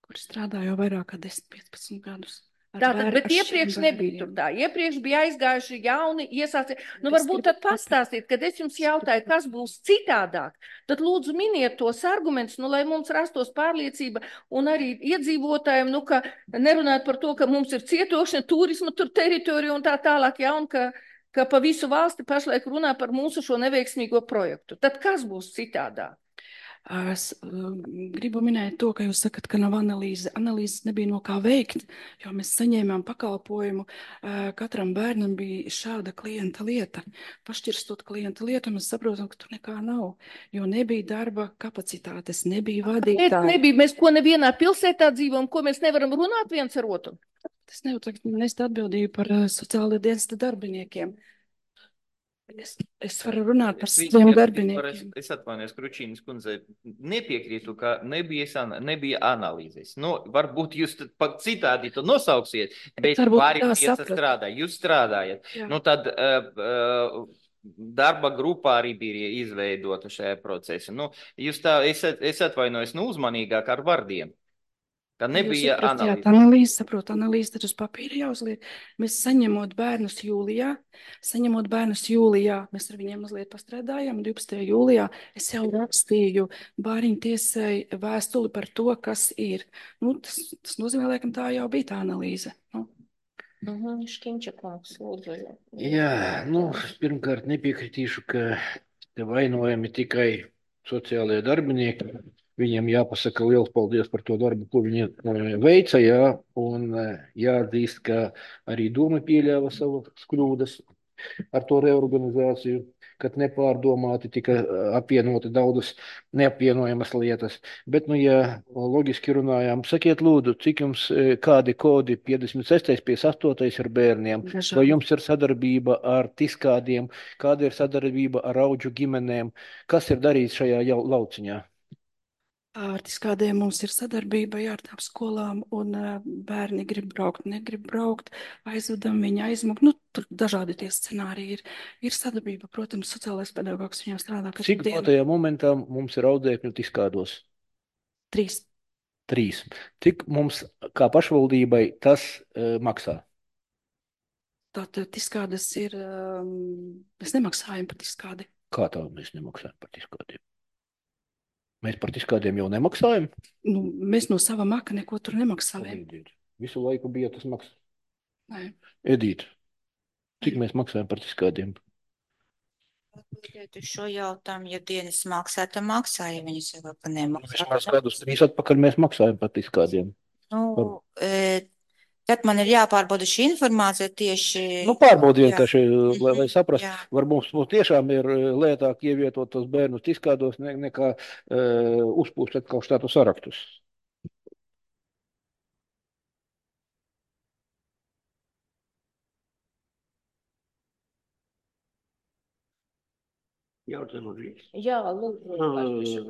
Kur strādā jau vairāk kā 10-15 gadus. Tātad, bet iepriekš nebija tur tā. Iepriekš bija aizgājuši jauni iesāci. Nu, varbūt tad pastāstīt, kad es jums jautāju, kas būs citādāk, tad lūdzu miniet tos argumentus, nu, lai mums rastos pārliecība un arī iedzīvotājiem, nu, ka nerunāt par to, ka mums ir cietokšana, turisma tur teritorija un tā tālāk, ja, un ka pa visu valsti pašlaik runā par mūsu šo neveiksmīgo projektu. Tad kas būs citādāk? Es gribu minēt to, ka jūs sakat, ka nav analīze. Analīzes nebija no kā veikt, jo mēs saņēmām pakalpojumu. Katram bērnam bija šāda klienta lieta. Pašķirstot klienta lietu, mēs saprotam, ka tur nekā nav, jo nebija darba kapacitātes, nebija vadītāji. Nebija, mēs ko nevienā pilsētā dzīvojam, ko mēs nevaram runāt viens ar otru. Tas nest atbildību par sociālajā dienesta darbiniekiem. Es varu runāt par saviem darbiniekiem. Es atvainojos, Kručīnas kundze, nepiekrītu, ka nebija analīzes. Nu, varbūt jūs citādi to nosauksiet, bet pārējie strādā. Jūs strādājat. Jā. Nu, tad darba grupā arī bija izveidota šajā procesa. Nu, jūs tā, es atvainojos, uzmanīgāk ar vārdiem. Ka nebija analīze. Saprotu, analīze tad uz papīra jāuzliek. Mēs saņemot bērnus jūlijā, mēs ar viņiem mazliet pastrādājām. 12. jūlijā es jau rakstīju bāriņu tiesai vēstuli par to, kas ir. Nu, tas nozīmē, laikam, tā jau bija tā analīze. Nu. Škinčakungs, lūdzu. Jā, pirmkārt nepiekrītīšu, ka te vainojami tikai sociālajie darbinieki. Viņiem jāpasaka liels paldies par to darbu, ko viņi veica, jā, un jāatzīst, ka arī doma pieļāva savas kļūdas ar to reorganizāciju, kad nepārdomāti tika apvienoti daudzas neapvienojamas lietas. Bet, ja loģiski runājām, sakiet lūdzu, cik jums kādi kodi 56. 58. ar bērniem, vai jums ir sadarbība ar tiskādiem, kāda ir sadarbība ar audžu ģimenēm, kas ir darīts šajā lauciņā? Ar tiskādiem mums ir sadarbība ar tām skolām, un bērni grib braukt, negrib braukt, aizvedam viņu aizmuk. Nu, tur dažādi tie scenāriji ir. Ir sadarbība, protams, sociālais pedagogs viņiem strādā. Cik tajā momentā mums ir audzēkņu tiskādos? 3. Cik mums kā pašvaldībai tas maksā? Tātad tiskādes ir, mēs nemaksājam par tiskādi. Kā tā mēs nemaksājam par tiskādiem? Mēs par tiskādiem jau nemaksājam? Nu, mēs no sava maka neko tur nemaksājam. Visu laiku bija tas maksas? Nē. Edīte, cik mēs maksājam par tiskādiem? Atbildēt uz šo jautājumu, ja dienas maksā, tad maksā, ja viņi saka, ka nemaksā. Vismaz gadus 3 atpakaļ mēs maksājam par tiskādiem. Nu, Tad man ir jāpārbauda šī informācija tieši. Nu, pārbaudi vienkārši, lai saprastu. Jā. Varbūt mums tiešām ir lētāk ievietot tos bērnus izkādos nekā uzpūst atkal štātu saraktus. Jā, lūdzu.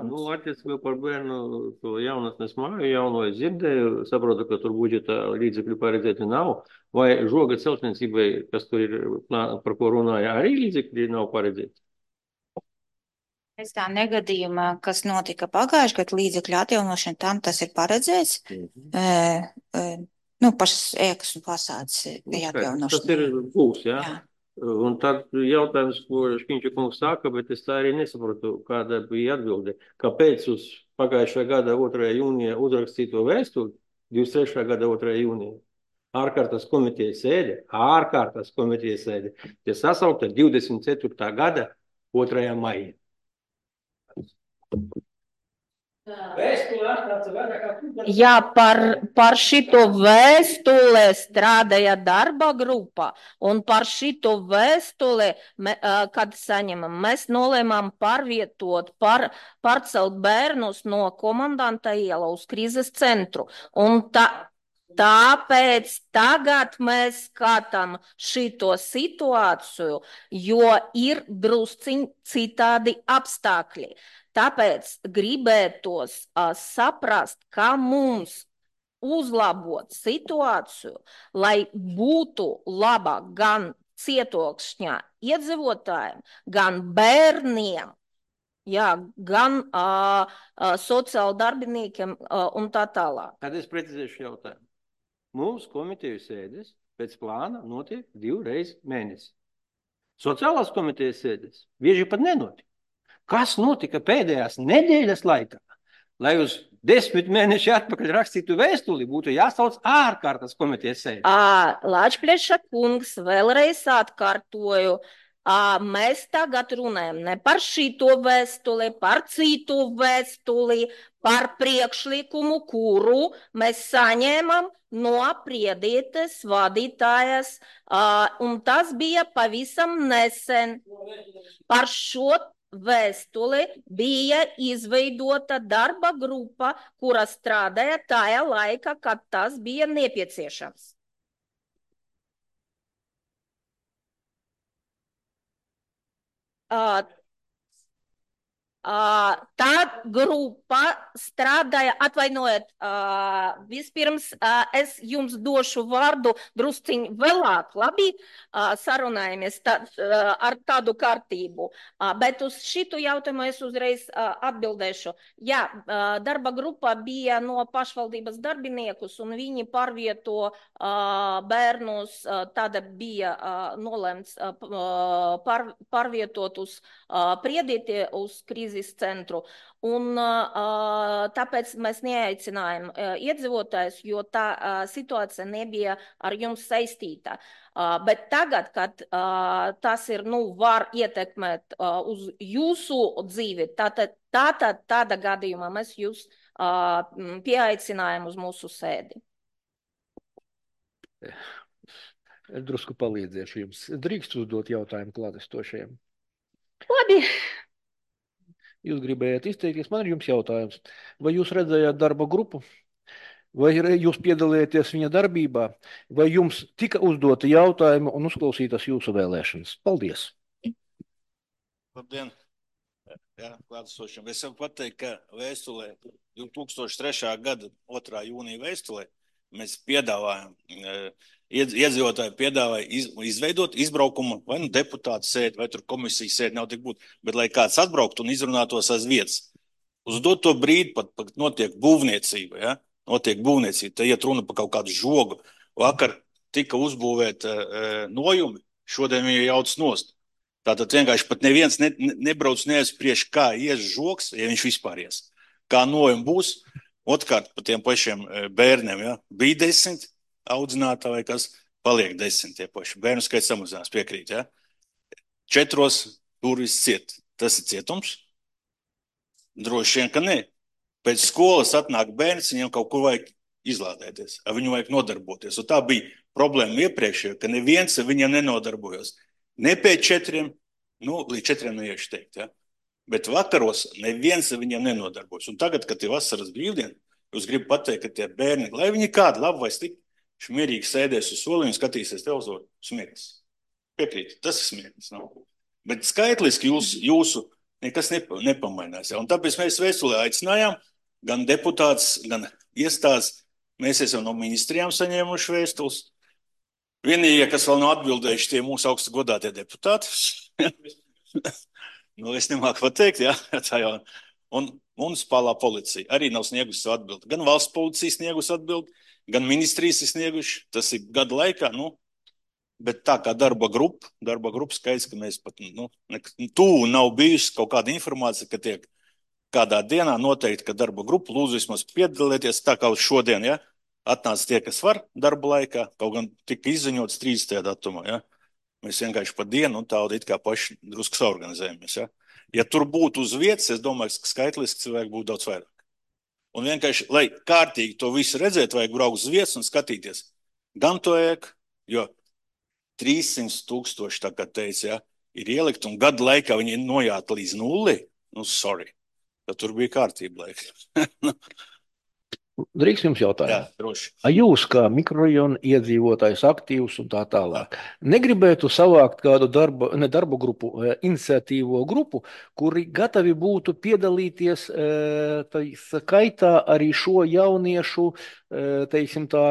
Nu, attiecībā par bērnu to jaunatnes māju, jauno es dzirdēju, saprotu, ka tur budžeta līdzekļu paredzēti nav. Vai žoga celtniecībai, kas tur ir, par ko runāja, arī līdzekļi nav paredzēti? Pēc tā negadījuma, kas notika pagājuši, kad līdzekļu atjaunošana tam tas ir paredzēts, pašas ēkas un fasādes atjaunošana. Tas ir būs, jā? Jā. Un tad jautājums, ko Škiņča kungs saka, bet es tā arī nesaprotu, kāda bija atbilde. Kāpēc uz pagājušā gada 2. jūnija uzrakstīto vēstuli, 23. gada 2. jūnija, ārkārtas komitejas sēde, tie sasaukta 24. gada 2. maija. Jā, par šito vēstuli strādāja darba grupa, un par šito vēstuli, kad saņemam, mēs nolēmām pārcelt bērnus no komandanta iela uz krīzes centru. Un tāpēc tagad mēs skatām šito situāciju, jo ir drusciņ citādi apstākļi. Tāpēc gribētos saprast, kā mums uzlabot situāciju, lai būtu labāk gan cietokšņā iedzīvotājiem, gan bērniem, jā, gan sociāla darbiniekiem un tā tālāk. Tad es precizēšu jautājumu. Mums komiteju sēdes pēc plāna notiek 2 reizes mēnesi. Sociālās komitejas sēdes bieži pat nenotiek. Kas notika pēdējās nedēļas laikā, lai uz 10 mēneši atpakaļ rakstītu vēstuli, būtu jāsauc ārkārtas komitejas sēdi? Lāčplieša kungs, vēlreiz atkārtoju, mēs tagad runājam ne par šito vēstuli, par citu vēstuli, par priekšlikumu, kuru mēs saņēmam no priedītes vadītājas, un tas bija pavisam nesen. Par šo vēstuli bija izveidota darba grupa, kura strādāja tajā laikā, kad tas bija nepieciešams. Tā grupa strādāja, atvainojiet, vispirms es jums došu vārdu drusciņ vēlāk, labi, sarunājamies ar tādu kārtību, bet uz šitu jautājumu es uzreiz atbildēšu. Jā, darba grupa bija no pašvaldības darbiniekus un viņi pārvieto bērnus, tāda bija nolēmts pārvietot uz priedīti, uz krīzes centru. Un tāpēc mēs neaicinājām iedzīvotājus, jo tā situācija nebija ar jums saistīta. Bet tagad, kad tas ir, var ietekmēt uz jūsu dzīvi, tāda gadījumā mēs jūs pieaicinājām uz mūsu sēdi. Drusku palīdzēšu jums. Drīkst uzdot jautājumu klātesošajiem? Labi. Jūs gribējāt izteikties, man ir jums jautājums. Vai jūs redzējāt darba grupu? Vai jūs piedalījāties viņa darbībā? Vai jums tika uzdota jautājuma un uzklausītas jūsu vēlēšanas? Paldies! Labdien! Jā, klātesošiem. Es varu pateikt, ka vēstulē 2003. gada 2. jūnija vēstulē mēs piedāvājam, iedzīvotāji piedāvāja izveidot izbraukumu, vai deputātu sēdi, vai tur komisijas sēdi, nav tik būt, bet lai kāds atbrauktu un izrunātos aiz vietas. Uz doto brīdi pat notiek būvniecība, ja? Notiek būvniecība, te iet runa par kaut kādu žogu. Vakar tika uzbūvēta nojumi, šodien viņa jauc nost. Tātad vienkārši pat neviens nebrauc neaizspriež, kā ies žogs, ja viņš vispār ies. Kā nojumi būs. Otkārt, par tiem pašiem bērniem, ja? Bija 10 audzinātāji, kas paliek 10 tie paši. Bērnu skaits samazinās, piekrīt, ja? 4 durvis ciet. Tas ir cietums? Droši vien, ka ne. Pēc skolas atnāk bērns, viņam kaut kur vajag izlādēties, ar viņu vajag nodarboties. Un tā bija problēma iepriekšējā, ka neviens ar viņiem nenodarbojos. Ne pēc 4, līdz 4 neiešu teikt, ja? Bet vakaros neviens ar viņiem nenodarbojas. Un tagad, kad ir vasaras brīvdiena, jūs gribu pateikt, ka tie bērni, lai viņi kādi labi vai slikti, šmierīgi sēdēs uz soliņu un skatīsies televizoru, smieklīgs. Piekrīt, tas ir smieklīgs. Bet skaitliski jūsu nekas nepamainās. Ja? Un tāpēc mēs vēstulē aicinājām gan deputāts, gan iestādes. Mēs esam no ministrijām saņēmuši vēstules. Vienīgie, kas vēl nav atbildējuši, tie mūsu augstu godātie deputāti. Es nemāku pateikt, jā. Un municipālā policija arī nav sniegusi savu atbildi. Gan valsts policija sniegusi atbildi, gan ministrijas ir snieguši. Tas ir gada laikā, bet tā kā darba grupa skaidrs, ka mēs pat, tuvu nav bijusi kaut kāda informācija, ka tiek kādā dienā noteikti, ka darba grupa lūdzu vismaz piedalieties, tā kā uz šodien, ja, atnāca tie, kas var darba laikā, kaut gan tika izziņots 30. datumā, ja. Mēs vienkārši pa dienu un tādu it kā paši drusku saorganizējamies, ja. Ja tur būtu uz vietas, es domāju, ka skaitliski cilvēki būtu daudz vairāk. Un vienkārši, lai kārtīgi to visu redzēt, vajag braukt uz vietas un skatīties. Gan to ēku, jo 300 000, tā kā teica, ja, ir ielikt un gadu laikā viņi ir nojāti līdz 0. Sorry. Tad tur bija kārtība laika. Drīkst jums jautājumu? Jā, droši. Jūs kā mikrorajona iedzīvotājs aktīvs un tā tālāk, negribētu savākt kādu darba grupu, iniciatīvo grupu, kuri gatavi būtu piedalīties skaitā arī šo jauniešu, teiksim tā,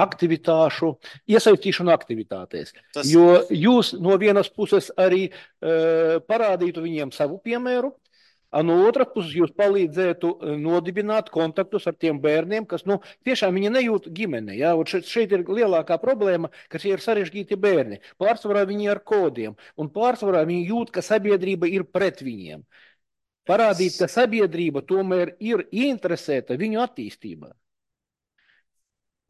aktivitāšu, iesaistīšanu aktivitātēs. Jo jūs no vienas puses arī parādītu viņiem savu piemēru, no otras puses jūs palīdzētu nodibināt kontaktus ar tiem bērniem, kas tiešām viņi nejūt ģimene. Ja? Šeit ir lielākā problēma, ka šie ir sarežģīti bērni. Pārsvarā viņi ar kodiem, un pārsvarā viņi jūt, ka sabiedrība ir pret viņiem. Parādīt, ka sabiedrība tomēr ir ieinteresēta viņu attīstībā.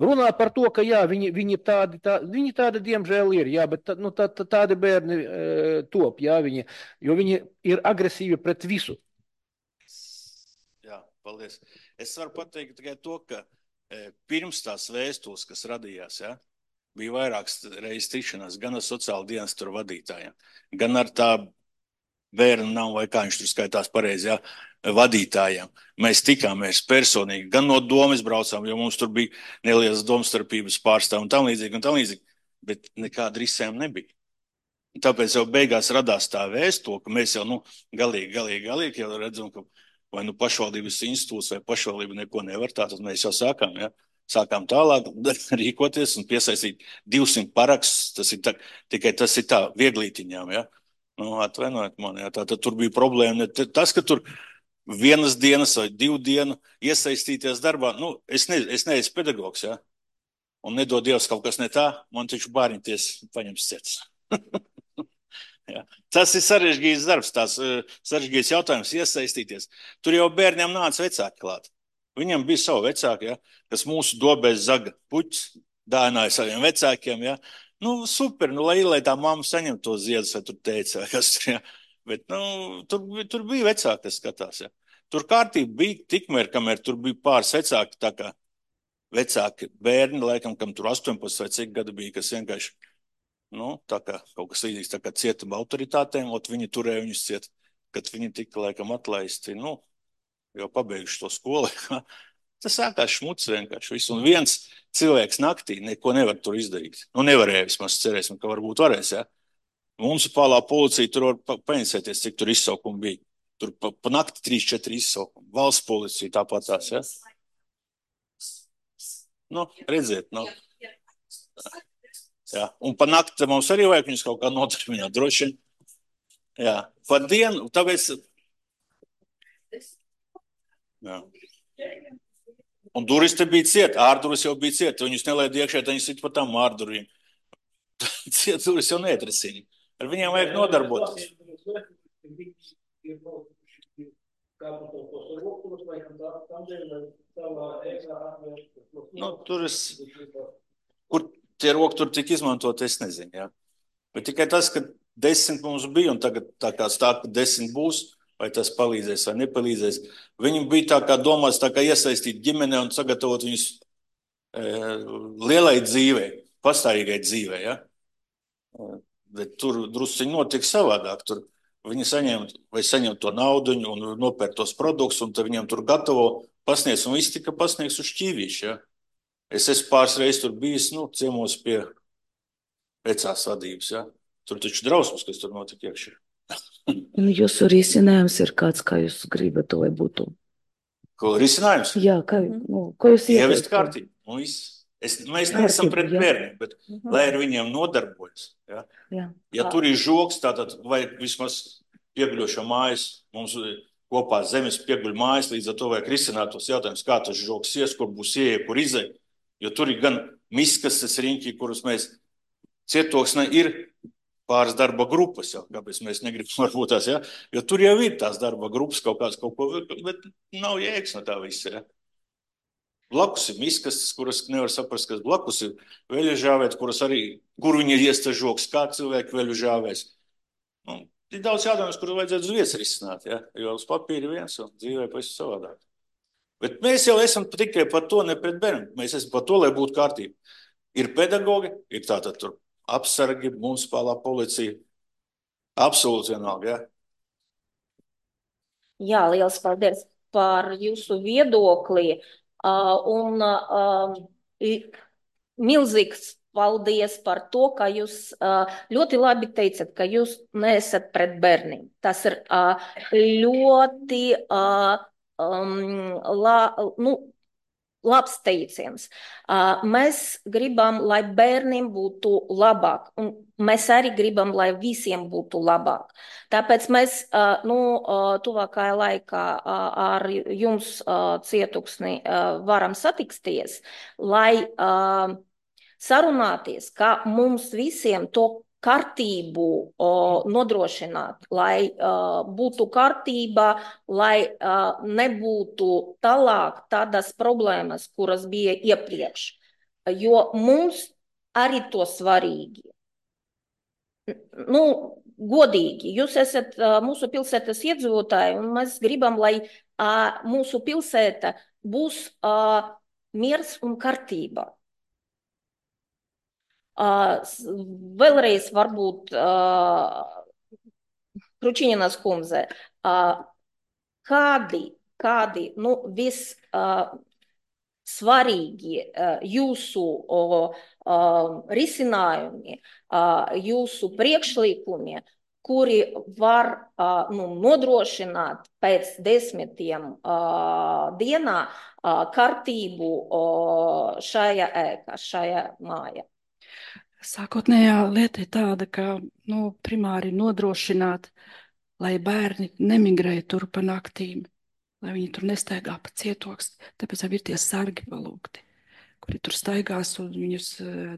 Runā par to, ka jā, viņi tādi diemžēl ir, jā, bet tādi bērni top, jā, jo viņi ir agresīvi pret visu. Jā, paldies. Es varu pateikt tikai to, ka pirms tās vēstules, kas radījās, jā, bija vairākas reizes tikšanās gan ar sociāla dienesta vadītājiem, gan ar tā bērnu nav vai kā viņš tur skaitās pareizi, jā, vadītājiem. Mēs tikāmies personīgi, gan no domas braucām, jo mums tur bija nelielas domstarpības pārstāv un tam līdzīgi, bet nekāda risējuma nebija. Tāpēc jau beigās radās tā vēstule, ka mēs jau galīgi jau redzam, ka vai pašvaldības institūts vai pašvaldība neko nevar, tad mēs jau sākām, ja? Sākām tālāk rīkoties un piesaistīt 200 parakstus, tikai tas ir tā vieglītiņām, ja? Atvainojiet man, ja? Tātad tur bija problēma, tas, ka tur vienas dienas vai 2 dienu iesaistīties darbā, es neesmu pedagogs, ja? Un nedod Dievs kaut kas ne tā, man taču bārņoties paņems ciets. Ja. Tas ir sarežģīts darbs, tās sarežģīts jautājums iesaistīties. Tur jau bērniem nāca vecāki klāt. Viņam bija savu vecāku, ja, kas mūsu dobēs zaga puķis, dāvināja saviem vecākiem, ja. Super, lai tā mamma saņem to ziedus, vai tur teica, vai kas tur, ja. Bet, tur bija vecāki, kas skatās, ja. Tur kārtība bija tikmēr, kamēr tur bija pāris vecāki, tā kā vecāki bērni, laikam, kam tur 18 vai cik gadu bija, kas vienkārši, tā kā kaut kas līdzīgs, tā kā cietuma autoritātēm, viņi turēja viņus ciet, kad viņi tika, laikam, atlaisti, jau pabeiguši to skolu. Tas sākās šmuts vienkārši visu. Un viens cilvēks naktī neko nevar tur izdarīt. Nevarēja vismaz, cerēsim, ka varbūt varēs, ja. Municipālā policija tur var paņemsēties, cik tur izsaukumi bija. Tur pa nakti 3-4 izsaukumi. Valsts policija tāpat tās, ja. Redziet, Jā, un pa nakti mums arī vajag viņus kaut kā nodarbināt, droši. Jā, pa dienu, tāpēc... Jā. Un durvis te bija ciet, ārdurvis jau bija ciet, viņus nelaid iekšē, tad viņi sit pa tām ārdurvīm. Ciet durvis jau neatrasīja. Ar viņiem vajag nodarboties. Kur tie roki tur tik izmantot, es nezinu, jā. Bet tikai tas, ka 10 mums bija, un tagad tā kā stāv, ka 10 būs, vai tas palīdzēs vai nepalīdzēs. Viņi bija tā kā domāts, tā kā iesaistīt ģimene un sagatavot viņus lielai dzīvei, pastāvīgai dzīvei, ja? Bet tur drusciņi notiek savādāk. Tur viņi saņem to naudu un nopērk tos produktus, un tad viņiem tur gatavo pasniegs, un viss tika pasniegs uz šķīvīšu, ja? Es esmu pāris reizes tur bijis, ciemos pie vecās vadības, ja? Tur taču drausmas, kas tur notika iekšā. Jūsu risinājums ir kāds, kā jūs gribat, lai būtu? Ko risinājums? Jā, ko jūs ievest kārtību. Mēs neesam pret bērniem, bet lai ar viņiem nodarbojas. Ja, ja tur ir žoks, tātad vajag vismaz pieguļošo mājas, mums kopā zemes pieguļ mājas, līdz ar to vajag risināt tos jautājumus, kā tas žoks ies, kur būs ieeja, kur izej. Jo tur ir gan miskastes riņķi, kurus mēs cietoksnē ir pāris darba grupas, jau, kāpēc mēs negribam varbūt tās, ja? Jo tur jau ir tās darba grupas kaut ko, bet nav jēgas no tā visa, ja? Blakus ir miskastes, kuras nevar saprast, kas blakus ir veļu žāvēt, kur viņi ir iestas žoks, kā cilvēki veļu žāvēs. Ir daudz jādāmas, kur vajadzētu uz vietas risināt, ja? Jo uz papīra viens un dzīvē pavisam savādāk. Bet mēs jau esam tikai par to, ne pret bērniem. Mēs esam par to, lai būtu kārtība. Ir pedagogi, ir tātad tur apsargi, municipālā policija. Absolūti vienalga, ja? Jā, liels paldies par jūsu viedokli. Un milzīgs paldies par to, ka jūs ļoti labi teicat, ka jūs neesat pret bērniem. Tas ir ļoti labs teiciens. Mēs gribam, lai bērniem būtu labāk, un mēs arī gribam, lai visiem būtu labāk. Tāpēc mēs tuvākajā laikā ar jums cietoksni varam satiksties, lai sarunāties, kā mums visiem to kārtību nodrošināt, lai būtu kārtība, lai nebūtu tālāk tādas problēmas, kuras bija iepriekš. Jo mums arī to svarīgi. Godīgi, jūs esat mūsu pilsētas iedzīvotāji, un mēs gribam, lai mūsu pilsēta būs miers un kārtība. Vēlreiz varbūt Kručīninas kundze, kādi svarīgi jūsu risinājumi, jūsu priekšlikumi, kuri var nodrošināt pēc 10 dienā kārtību šajā ēkā, šajā mājā. Sākotnējā lieta ir tāda, ka primāri nodrošināt, lai bērni nemigrē tur pa naktīm, lai viņi tur nestaigā pa cietoksni. Tāpēc jau ir tie sargi palūgti, kuri tur staigās un viņus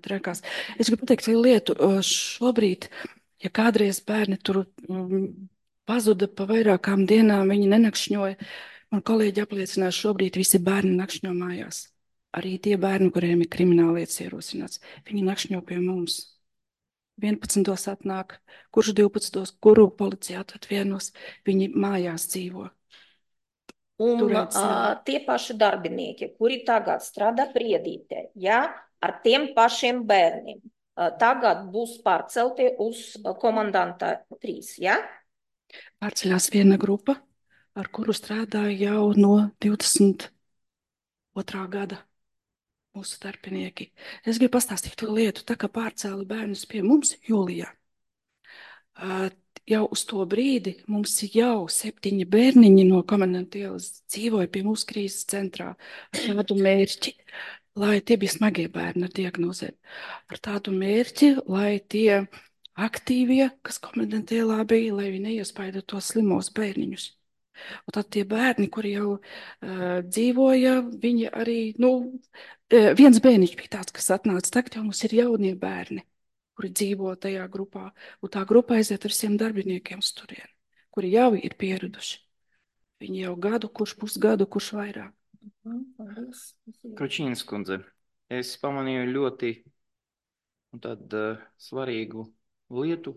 drekās. Es gribu pateikt vienu lietu. Šobrīd, ja kādreiz bērni tur pazuda pa vairākām dienām, viņi nenakšņoja. Man kolēģi apliecināja, šobrīd visi bērni nakšņo mājās. Arī tie bērni, kuriem ir krimināllietas ierosināts, viņi nakšņo pie mums. 11. atnāk, kurš 12. kuru policijā tad vienos, viņi mājās dzīvo. Un tie paši darbinieki, kuri tagad strādā Priedītē, ja, ar tiem pašiem bērniem, tagad būs pārcelti uz komandanta 3, ja? Pārceļās viena grupa, ar kuru strādāja jau no 22. gada. Mūsu darbinieki. Es gribu pastāstīt to lietu, tā kā pārcēla bērnus pie mums jūlijā. Jau uz to brīdi mums jau 7 bērniņi no komandanta ielas dzīvoja pie mūsu krīzes centrā ar tādu mērķi, lai tie bija smagie bērni ar diagnozēm. Ar tādu mērķi, lai tie aktīvie, kas komandanta ielā bija, lai viņi neiespaido tos slimos bērniņus. Un tad tie bērni, kuri jau dzīvoja, viņi arī, viens bērniņš bija tāds, kas atnāca, tagad jau mums ir jaunie bērni, kuri dzīvo tajā grupā, un tā grupa aiziet ar visiem darbiniekiem uz turieni, kuri jau ir pieraduši. Viņi jau gadu, kurš pusgadu, kurš vairāk. Kručīnas kundze, es pamanīju ļoti svarīgu lietu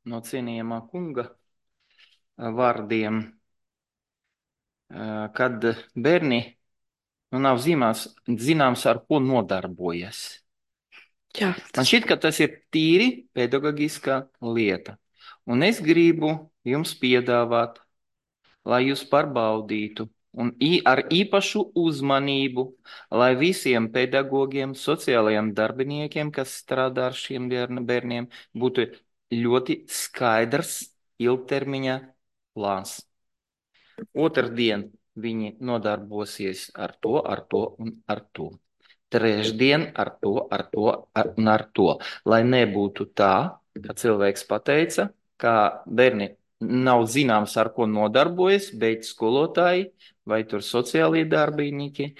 no cienījamā kunga vārdiem. kad bērni nav zināms, ar ko nodarbojas. Jā, Man šķiet, ka tas ir tīri pedagoģiskā lieta. Un es gribu jums piedāvāt, lai jūs pārbaudītu un ar īpašu uzmanību, lai visiem pedagogiem, sociālajiem darbiniekiem, kas strādā ar šiem bērniem, būtu ļoti skaidrs ilgtermiņa plāns. Otrdien viņi nodarbosies ar to un ar to. Trešdien ar to un ar to. Lai nebūtu tā, ka cilvēks pateica, ka bērni nav zināms, ar ko nodarbojas, bet skolotāji vai tur sociālie darbinieki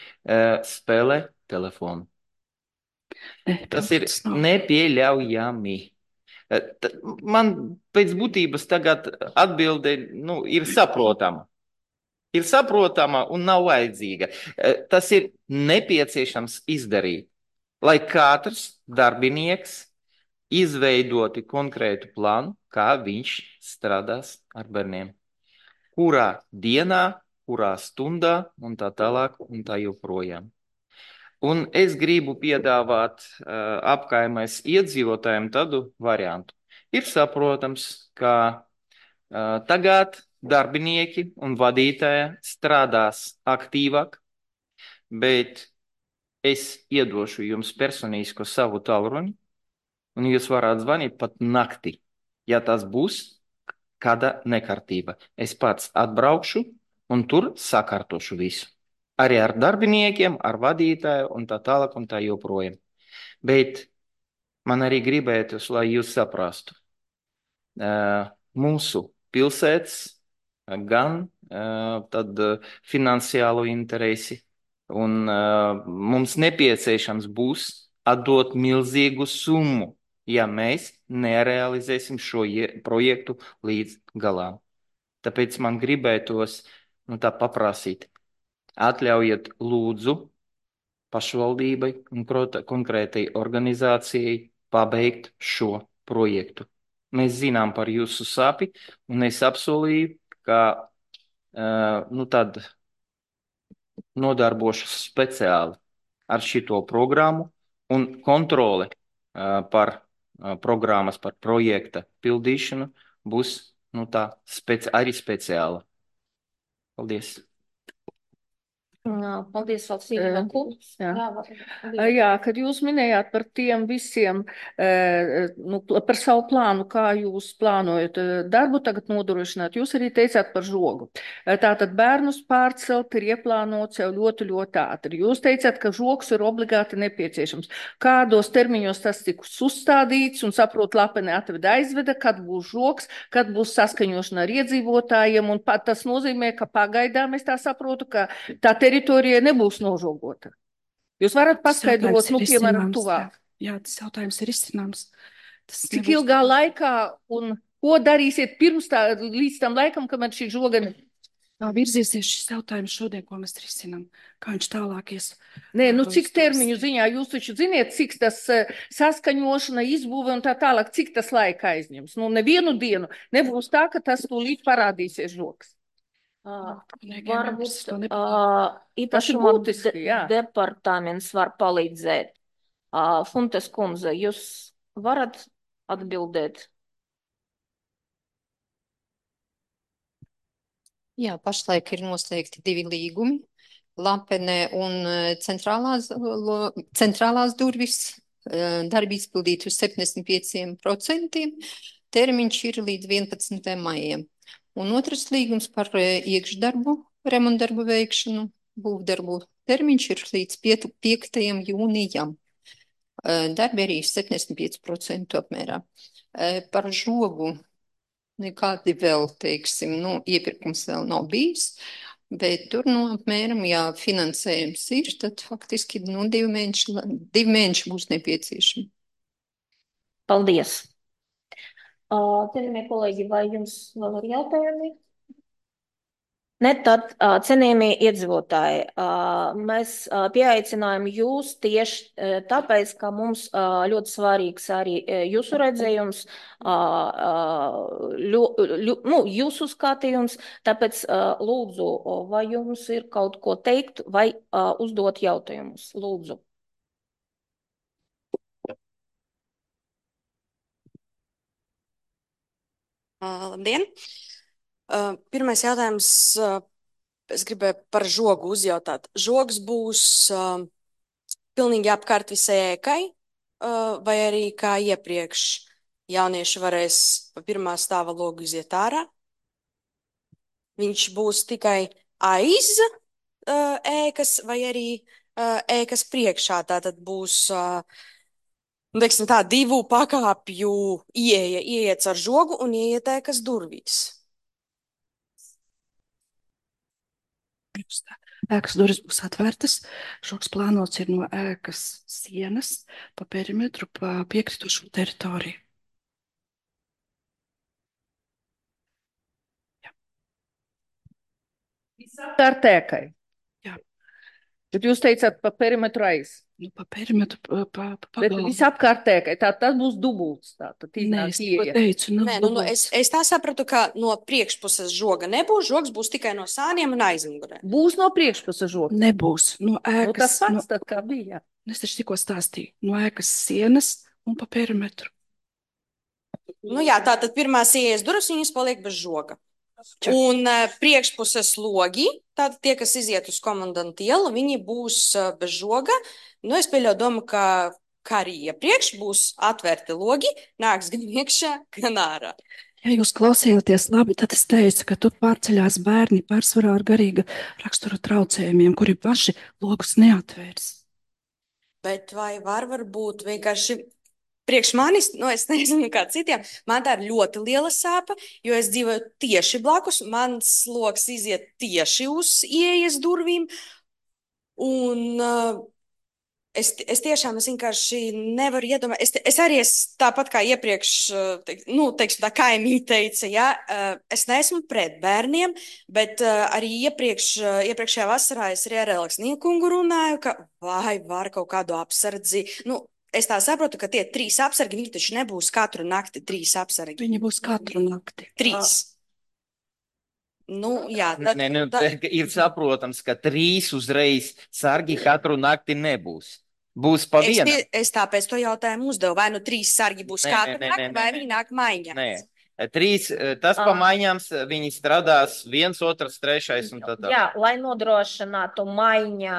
spēlē telefonu. Tas ir nepieļaujami. Man pēc būtības tagad atbilde ir saprotama. Ir saprotama un nav vajadzīga. Tas ir nepieciešams izdarīt, lai katrs darbinieks izveidoti konkrētu plānu, kā viņš strādās ar bērniem. Kurā dienā, kurā stundā un tā tālāk un tā joprojām. Un es gribu piedāvāt apkaimēs iedzīvotājiem tādu variantu. Ir saprotams, ka tagad darbinieki un vadītāji strādās aktīvāk, bet es iedošu jums personīsko savu tālruni, un jūs varat zvanīt pat naktī, ja tas būs kāda nekārtība. Es pats atbraukšu un tur sakārtošu visu. Arī ar darbiniekiem, ar vadītāju un tā tālāk un tā joprojām. Bet man arī gribētos, lai jūs saprastu. Mūsu pilsētas gan tad finansiālu interesi, un mums nepieciešams būs atdot milzīgu summu, ja mēs nerealizēsim šo projektu līdz galām. Tāpēc man gribētos tā paprasīt, atļaujiet lūdzu pašvaldībai un konkrētai organizācijai pabeigt šo projektu. Mēs zinām par jūsu sāpi, un es apsolīju, ka tad nodarbošos speciāli ar šito programmu, un kontrole par programmas, par projekta pildīšanu būs arī speciāla. Paldies! Paldies, Valsīna. Jā, kad jūs minējāt par tiem visiem, par savu plānu, kā jūs plānojat darbu tagad nodrošināt, jūs arī teicāt par žogu. Tātad bērnus pārcelt ir ieplānots jau ļoti, ļoti ātri. Jūs teicāt, ka žogs ir obligāti nepieciešams. Kādos termiņos tas tiks uzstādīts un saprot, Lapene atveda aizveda, kad būs žogs, kad būs saskaņošana ar iedzīvotājiem, un tas nozīmē, ka pagaidām es tā saprotu, ka tā teritorija nebūs nožogota. Jūs varat paskaidrot, piemēram, tuvāk. Jā, tas jautājums ir izcināms. Cik ilgā laikā un ko darīsiet līdz tam laikam, kamēr šī žoga virzīsies šis jautājums šodien, ko mēs risinām, kā viņš tālāk ies? Nē, cik termiņu ziņā jūs taču ziniet, cik tas saskaņošana, izbūve un tā tālāk, cik tas laika aizņems? Nevienu dienu nebūs tā, ka tas tūlīt parādīsies žogs. Varbūt īpašuma departaments var palīdzēt. Funtes kundze, jūs varat atbildēt? Jā, pašlaik ir noslēgti 2 līgumi. Lapene un centrālās durvis darbi izpildīti uz 75%. Termiņš ir līdz 11. maijam. Un otrs līgums par iekšdarbu, remontdarbu veikšanu, būvdarbu termiņš ir līdz 5. jūnijam. Darbi arī 75% apmērā. Par žogu nekādi vēl, teiksim, iepirkums vēl nav bijis, bet tur, apmēram, ja finansējums ir, tad faktiski 2 mēneši būs nepieciešami. Paldies! Cienījamie kolēģi, vai jums vēl ir jautājumi? Ne, tad, cienījamie iedzīvotāji, mēs pieaicinājām jūs tieši tāpēc, ka mums ļoti svarīgs arī jūsu redzējums, jūsu skatījums, tāpēc lūdzu, vai jums ir kaut ko teikt vai uzdot jautājumus? Lūdzu. Labdien! Pirmais jautājums, es gribēju par žogu uzjautāt. Žogs būs pilnīgi apkārt visai ēkai, vai arī kā iepriekš jaunieši varēs pa pirmā stāva logu iziet ārā? Viņš būs tikai aiz ēkas vai arī ēkas priekšā, tātad būs teiksim tā, 2 pakāpju ieiet ar žogu un ieiet ēkas durvīs. Ēkas durvis būs atvērtas. Žogs plānots ir no ēkas sienas pa perimetru, pa piekritušo teritoriju. Apkārt ēkai. Jā. Bet jūs teicāt pa perimetru aiz. Nu, pa perimetru, pa Bet pagalmu. visapkārt ēkai. Tas būs dubults. Nē, es tikko teicu, Nē, es tā sapratu, ka no priekšpuses žoga nebūs. Žogs būs tikai no sāniem un aizmugurē. Būs no priekšpuses žogs. Nebūs. No ēkas. Tas pats tad kā bija. Es taču tikko stāstīju. No ēkas sienas un pa perimetru. Nu jā, tātad pirmās ieejas durvis viņas paliek bez žoga. Un priekšpuses logi, tātad tie, kas iziet uz komandantu ielu, viņi būs bez žoga. Nu, es pieļauju domu, ka arī iepriekš būs atvērti logi, nāks gan iekšā, gan ārā. Ja jūs klausījāties labi, tad es teicu, ka tur pārceļās bērni pārsvarā ar garīga rakstura traucējumiem, kuri paši logus neatvērs. Bet vai varbūt vienkārši priekš manis, es nezinu, kā citiem, man tā ir ļoti liela sāpe, jo es dzīvoju tieši blakus, mans loks iziet tieši uz ieejas durvīm, un es tiešām vienkārši nevaru iedomāt. Es arī tāpat kā iepriekš, teiksim, tā kaimiņi teica, ja, es neesmu pret bērniem, bet arī iepriekšējā vasarā es arī ar Aleksniju kungu runāju, ka vai var kaut kādu apsardzi, es tā saprotu, ka tie 3 apsargi, viņi taču nebūs katru nakti 3 apsargi. Viņi būs katru nakti. 3. Jā. Ir saprotams, ka 3 uzreiz sargi katru nakti nebūs. Būs pa vienam. Es tāpēc to jautājumu uzdevu. Vai 3 sargi būs katru nakti, vai viņi nāk maiņā? Nē. 3, tas pa maiņām viņi strādās 1, 2, 3 un tā. Jā, lai nodrošinātu maiņā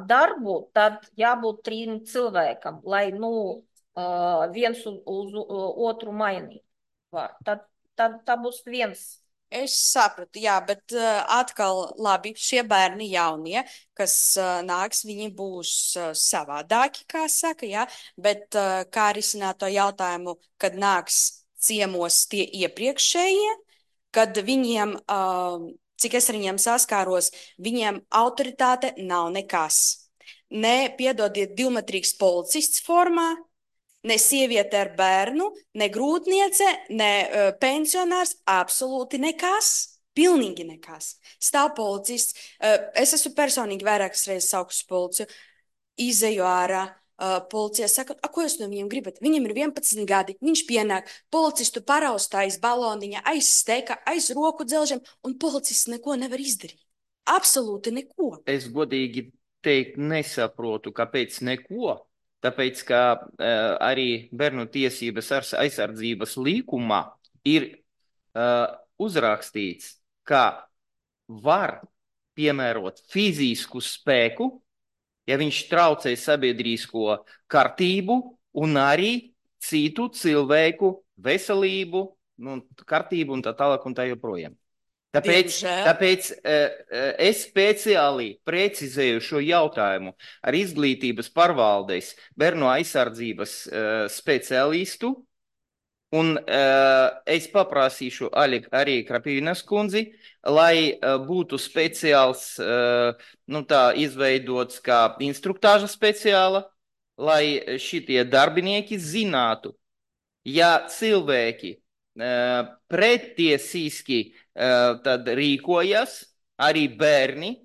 darbu, tad jābūt 3 cilvēkam, lai viens uz otru mainīt var. Tad tā būs 1. Es sapratu, jā, bet atkal labi, šie bērni jaunie, kas nāks, viņi būs savādāki, kā saka, jā, bet kā risināt to jautājumu, kad nāks ciemos tie iepriekšējie, kad viņiem, cik es ar viņiem saskāros, viņiem autoritāte nav nekas. Ne, piedodiet, 2-metrīgs policists formā, ne sieviete ar bērnu, ne grūtniece, ne pensionārs, absolūti nekas, pilnīgi nekas. Stāv policists, es esmu personīgi vairākas reizes saukusi policiju, izeju ārā, policija saka, ko jūs no viņiem gribat? Viņam ir 11 gadi, viņš pienāk, policistu paraustā aiz baloniņa, aiz steka, aiz roku dzelžiem, un policists neko nevar izdarīt. Absolūti neko. Es godīgi teikt nesaprotu, kāpēc neko. Tāpēc, ka arī bērnu tiesības aizsardzības līkumā ir uzrakstīts, ka var piemērot fizisku spēku, ja viņš traucē sabiedrisko kārtību un arī citu cilvēku veselību, kārtību un tā tālāk un tā joprojām. Tāpēc es speciāli precizēju šo jautājumu ar izglītības pārvaldes bērnu aizsardzības speciālistu, un es paprasīšu arī Krapīnas kundzi, lai būtu speciāls, izveidots kā instruktāža speciāla, lai šitie darbinieki zinātu, ja cilvēki pretiesiski tad rīkojas, arī bērni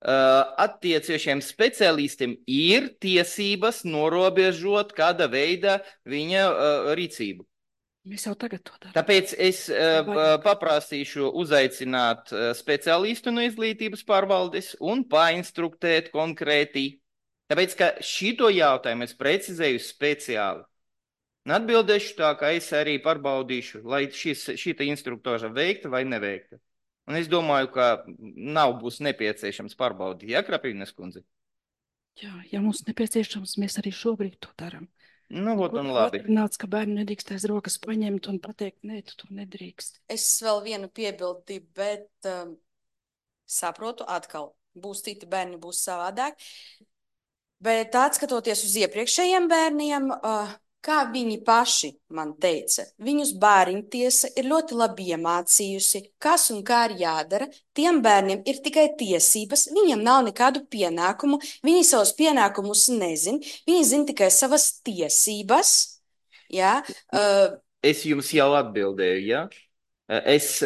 attieciešiem speciālistiem ir tiesības norobežot kāda veida viņa rīcību. Mēs jau tagad to darām. Tāpēc es paprasīšu uzaicināt speciālistu no izglītības pārvaldes un painstruktēt konkrēti. Tāpēc, ka šito jautājumu es precizēju speciāli. Un atbildēšu tā, ka es arī pārbaudīšu, lai šita instruktoža veikta vai neveikta. Un es domāju, ka būs nepieciešams pārbaudīt, ja, Krapīnes kundze? Jā, ja mums nepieciešams, mēs arī šobrīd to darām. Nu, vot un labi. Nāc, ka bērni nedrīkst aiz rokas paņemt un pateikt, nē, tu to nedrīkst. Es vēl vienu piebildi, bet saprotu atkal, būs citi bērni, būs savādāk. Bet atskatoties uz iepriekšējiem bērniem, kā viņi paši man teica, viņus bērniņtiesa ir ļoti labi iemācījusi, kas un kā ir jādara. Tiem bērniem ir tikai tiesības, viņiem nav nekādu pienākumu, viņi savus pienākumus nezin, viņi zina tikai savas tiesības. Ja? Es jums jau atbildēju, ja? Es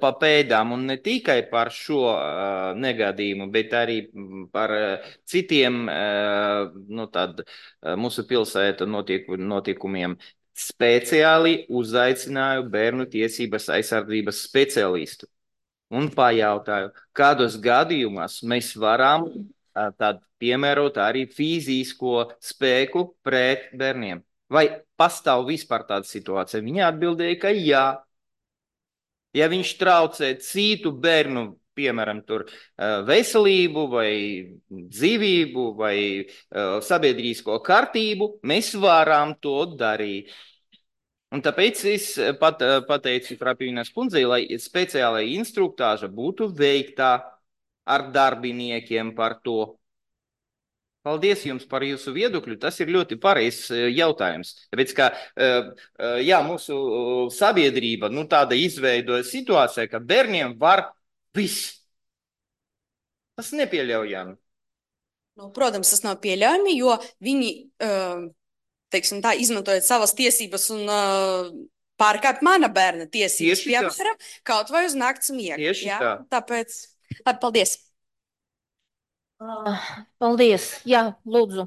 pa pēdām un ne tikai par šo negadījumu, bet arī par citiem mūsu pilsēta notikumiem speciāli uzaicināju bērnu tiesības aizsardzības speciālistu un pajautāju, kādos gadījumos mēs varam piemērot arī fizisko spēku pret bērniem. Vai pastāv vispār tāda situācija? Viņa atbildēja, ka jā. Ja viņš traucē citu bērnu, piemēram, veselību vai dzīvību vai sabiedrīsko kārtību, mēs varam to darīt. Un tāpēc es pateicu Krapīnes kundzei, lai speciālai instruktāža būtu veikta ar darbiniekiem par to. Paldies jums par jūsu viedokļu. Tas ir ļoti pareizs jautājums. Tāpēc, ka mūsu sabiedrība tāda izveidoja situācija, ka bērniem var viss. Tas nepieļaujami. Protams, tas nav pieļaujami, jo viņi, teiksim tā, izmantojot savas tiesības un pārkāp mana bērna tiesības, piemēram, kaut vai uz nakts miegu. Tieši tā. Tāpēc, labi, paldies. Paldies. Jā, lūdzu.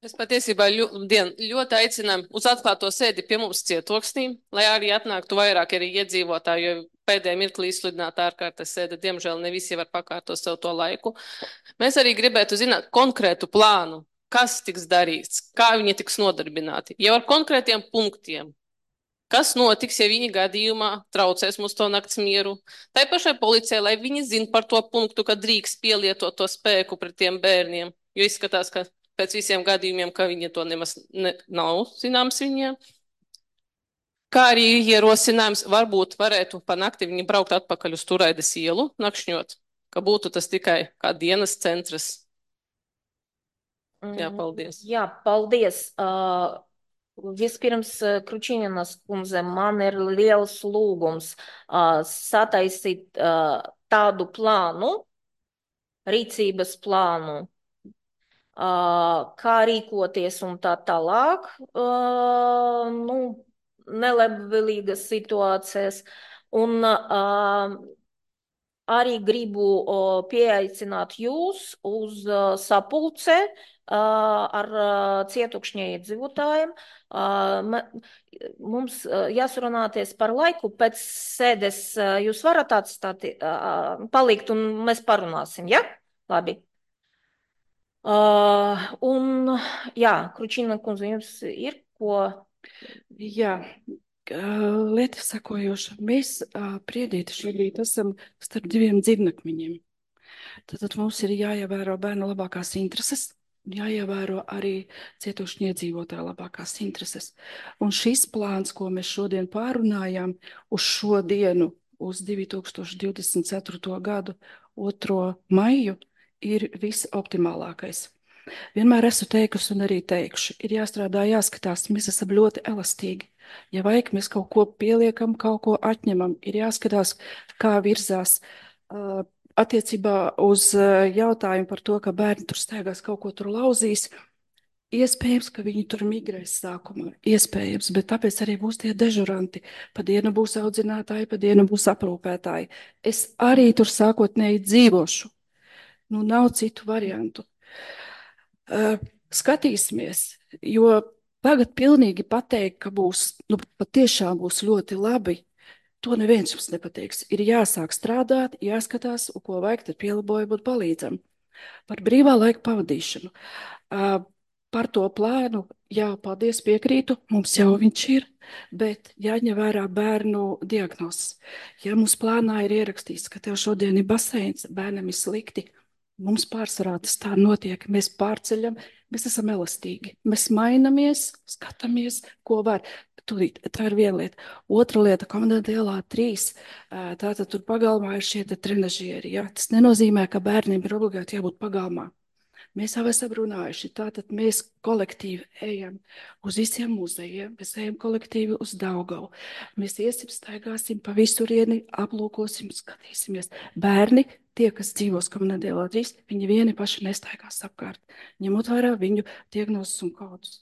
Es patiesībā ļoti aicinu uz atklāto sēdi pie mums cietoksnī, lai arī atnāktu vairāk arī iedzīvotāji, jo pēdējā mirklī izsludināta ārkārtas sēde, diemžēl ne visi var pakārtot sev to laiku. Mēs arī gribētu zināt konkrētu plānu, kas tiks darīts, kā viņi tiks nodarbināti, jau ar konkrētiem punktiem. Kas notiks, ja viņi gadījumā traucēs mums to nakts mieru? Tai pašai policijai, lai viņi zina par to punktu, ka drīkst pielietot to spēku pret tiem bērniem, jo izskatās, ka pēc visiem gadījumiem, ka viņi to nemaz nav zināms viņiem. Kā arī ierosinājums, varbūt varētu pa nakti viņi braukt atpakaļ uz Turaides ielu, nakšņot, ka būtu tas tikai kā dienas centrs. Jā, paldies. Jā, paldies. Vispirms, Kručīninas kundze, man ir liels lūgums sataisīt tādu plānu, rīcības plānu, kā rīkoties un tā tālāk, nelabvēlīgas situācijas. Un arī gribu pieaicināt jūs uz sapulce ar cietukšņa iedzīvotājiem. Mums jāsarunāties par laiku, pēc sēdes jūs varat atstāt, palikt un mēs parunāsim, ja? Labi. Un, jā, Kručīna kundze, jums ir ko? Jā, lieta sakojoša. Mēs Priedīti šobrīd esam starp diviem dzīvnakmeņiem. Tad mums ir jāievēro bērnu labākās intereses, jāievēro arī cietušņu iedzīvotāju labākās intereses. Un šis plāns, ko mēs šodien pārunājām uz šo dienu, uz 2024. gadu 2. maiju, ir visoptimālākais. Vienmēr esmu teikusi un arī teikšu, ir jāstrādā, jāskatās, mēs esam ļoti elastīgi. Ja vajag, mēs kaut ko pieliekam, kaut ko atņemam, ir jāskatās, kā virzās attiecībā uz jautājumu par to, ka bērni tur staigās, kaut ko tur lauzīs. Iespējams, ka viņi tur migrēs sākumā, iespējams, bet tāpēc arī būs tie dežuranti. Pa dienu būs audzinātāji, pa dienu būs aprūpētāji. Es arī tur sākotnēji dzīvošu. Nu, nav citu variantu. Skatīsimies, jo tagad pilnīgi pateikt, ka būs, nu, patiešām būs ļoti labi, to neviens jums nepateiks. Ir jāsāk strādāt, jāskatās, ko vajag, tad pielabojam un palīdzam. Par brīvā laika pavadīšanu. Par to plānu, jā, paldies, piekrītu, mums jau viņš ir, bet jāņem vērā bērnu diagnozes. Ja mums plānā ir ierakstīts, ka tev šodien ir baseins, bērnam ir slikti, mums pārsvarā tas tā notiek, mēs pārceļam, mēs esam elastīgi. Mēs mainamies, skatāmies, ko var. Tūlīt, tā ir viena lieta. Otra lieta, komandanta ielā 3, tātad tur pagalmā ir šie trenažieri. Ja? Tas nenozīmē, ka bērniem ir obligāti jābūt pagalmā. Mēs jau esam runājuši, tātad mēs kolektīvi ejam uz visiem muzejiem, mēs ejam kolektīvi uz Daugavu. Mēs iesim, staigāsim pa visurieni, aplūkosim, skatīsimies. Bērni, tie, kas dzīvos komandantā ielā 3, viņi vieni paši nestaigās apkārt, ņemot vērā viņu diagnozes un kodus.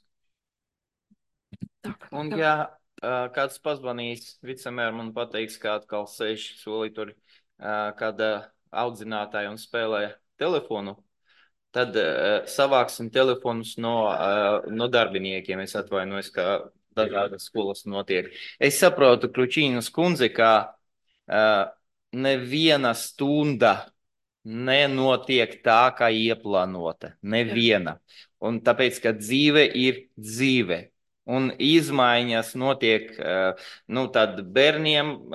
Un ja kāds pazvanīs, vicemēr man pateiks, ka atkal sēž solī tur kāda audzinātāja un spēlē telefonu, tad savāksim telefonus no darbiniekiem. Es atvainojos, ka dažādas skolas notiek. Es saprotu, Kručīnas kundze, ka neviena stunda nenotiek tā, kā ieplānota. Neviena. Un tāpēc, ka dzīve ir dzīve. Un izmaiņas notiek tad bērniem,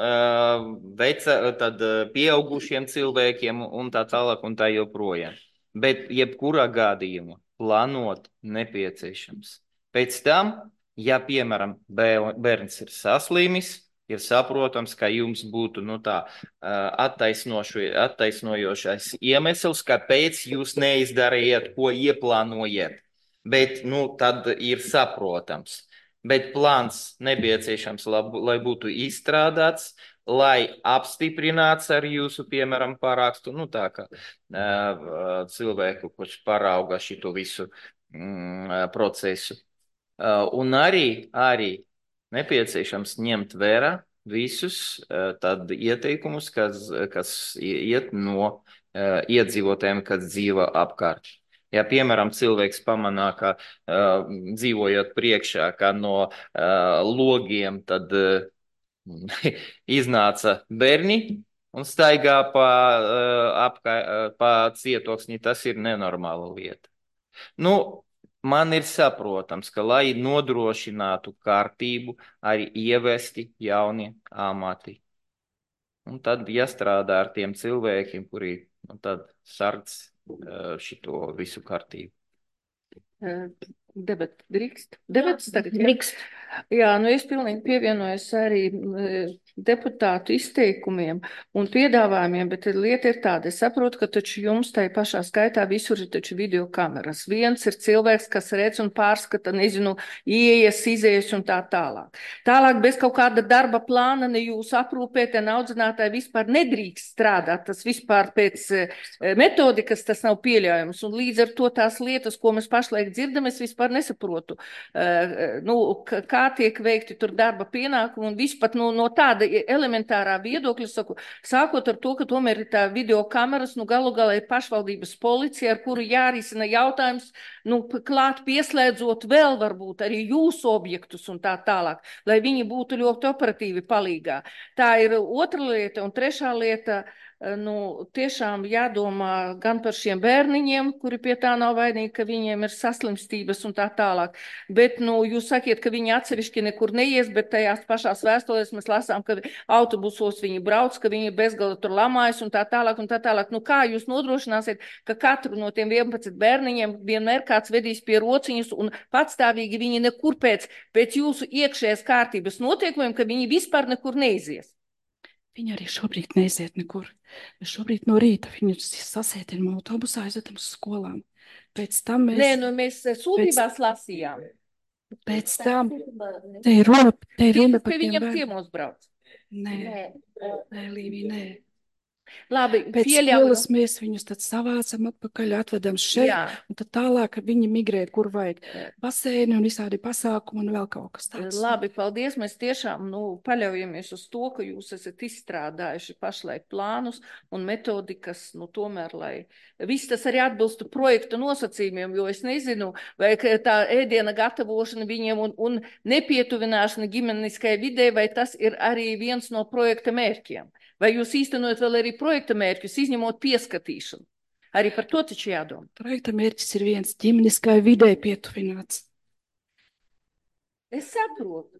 tad pieaugušiem cilvēkiem un tā tālāk un tā joprojām. Bet jebkurā gadījumā plānot nepieciešams. Pēc tam, ja, piemēram, bērns ir saslimis, ir saprotams, ka jums būtu attaisnojošais iemesls, kāpēc jūs neizdarījat, ko ieplānojat. Bet tad ir saprotams. Bet plāns nepieciešams, lai būtu izstrādāts, lai apstiprināts ar jūsu, piemēram, parakstu, tā kā cilvēku, kurš parauga šito visu procesu. Un arī nepieciešams ņemt vērā visus tad ieteikumus, kas iet no iedzīvotājiem, kas dzīvo apkārt. Ja, piemēram, cilvēks pamanā, ka dzīvojot priekšā, ka no logiem tad iznāca bērni un staigā pa cietoksni, tas ir nenormāla lieta. Man ir saprotams, ka, lai nodrošinātu kārtību, arī ievesti jauni amati. Un tad jāstrādā ar tiem cilvēkiem, kuri tad sardz šito visu kārtību. Debats tagad? Drīkst. Jā, es pilnīgi pievienojos arī deputātu izteikumiem un piedāvājumiem, bet lieta ir tāda, es saprotu, ka taču jums tai pašā skaitā visur ir taču video kameras. Viens ir cilvēks, kas redz un pārskata, ieejas, izējas un tā tālāk. Tālāk bez kaut kāda darba plāna ne jūs aprūpēt, ne audzinātāji vispār nedrīkst strādāt, tas vispār pēc metodikas tas nav pieļaujams, un līdz ar to tās lietas, ko mēs pašlaik dzirdam, es vispār nesaprotu, kā tiek veikti tur darba pienākumi un vispār no tāda elementārā viedokļa, saku, sākot ar to, ka tomēr ir tā video kameras, galu galā ir pašvaldības policija, ar kuru jārisina jautājums, klāt pieslēdzot vēl varbūt arī jūsu objektus un tā tālāk, lai viņi būtu ļoti operatīvi palīgā. Tā ir otra lieta, un trešā lieta, tiešām jādomā gan par šiem bērniņiem, kuri pie tā nav vainīgi, ka viņiem ir saslimstības un tā tālāk, bet, jūs sakiet, ka viņi atsevišķi nekur neies, bet tajās pašās vēstulēs mēs lasām, ka autobusos viņi brauc, ka viņi bezgala tur lamājas un tā tālāk un tā tālāk. Kā jūs nodrošināsiet, ka katru no tiem 11 bērniņiem vienmēr kāds vedīs pie rociņas un patstāvīgi viņi nekur pēc jūsu iekšējās kārtības noteikumiem, ka viņi vispār nekur neizies? Viņi arī šobrīd neiziet nekur. Mēs šobrīd no rīta viņus sasētinām autobusā, aizvedam uz skolām. Pēc tam mēs... mēs sūtībās lasījām. Pēc tam te ir runa par tiem viņam ciemos brauc. Nē, Līvija, nē. Labi, Pēc pieļauju. skolas mēs viņus tad savācam atpakaļ, atvedam šeit, un tad tālāk viņi migrē, kur vajag baseini un visādi pasākumi un vēl kaut kas tāds. Labi, paldies. Mēs tiešām paļaujamies uz to, ka jūs esat izstrādājuši pašlaik plānus un metodikas, tomēr, lai viss tas arī atbilstu projekta nosacījumiem, jo es nezinu, vai tā ēdiena gatavošana viņiem un nepietuvināšana ģimeniskai vidē, vai tas ir arī viens no projekta mērķiem. Vai jūs īstenojat vēl arī projekta mērķus, izņemot pieskatīšanu? Arī par to taču jādomā. Projekta mērķis ir viens ģimeniskai vidē pietuvināts. Es saprotu.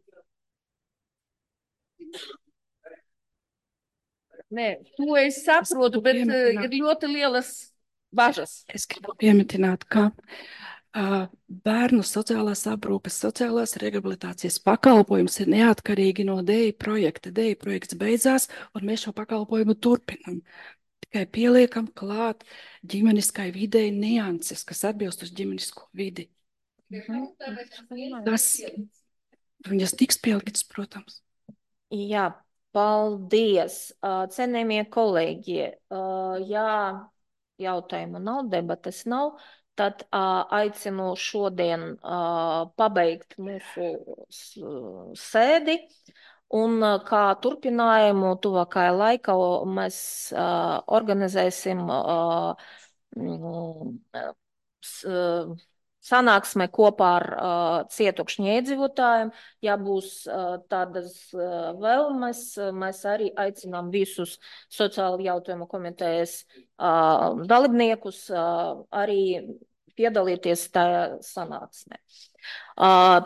Nē, to es saprotu, bet ir ļoti lielas bažas. Es gribu pieminēt, ka bērnu sociālās aprūpes, sociālās rehabilitācijas pakalpojums ir neatkarīgi no DEI projekta. DEI projekts beidzās, un mēs šo pakalpojumu turpinam. Tikai pieliekam klāt ģimeniskai videi nianses, kas atbilst uz ģimenisko vidi. Tas viņas tiks pieliktas, protams. Jā, paldies. Cienējamie kolēģi, ja jautājumu nav, debates nav, tad aicinu šodien pabeigt mūsu sēdi. Un kā turpinājumu tuvākajā laikā mēs organizēsim sanāksme kopā ar cietokšņu iedzīvotājiem. Ja būs tādas vēlmes, mēs arī aicinām visus sociālu jautājumu komitejas dalībniekus arī piedalīties tajā sanāksmē.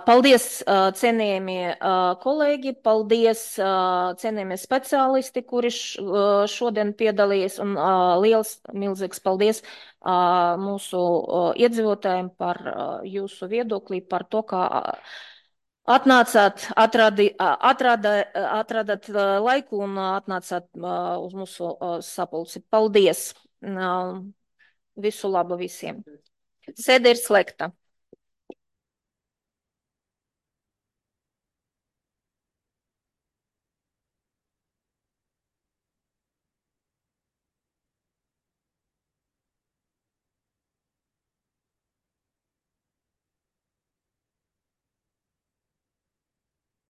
Paldies, cienījamie kolēģi, paldies, cienījamie speciālisti, kuri šodien piedalījies, un liels, milzīgs paldies mūsu iedzīvotājiem par jūsu viedoklī, par to, kā atradāt laiku un atnācāt uz mūsu sapulci. Paldies! Visu labu visiem! Sēde ir slēgta.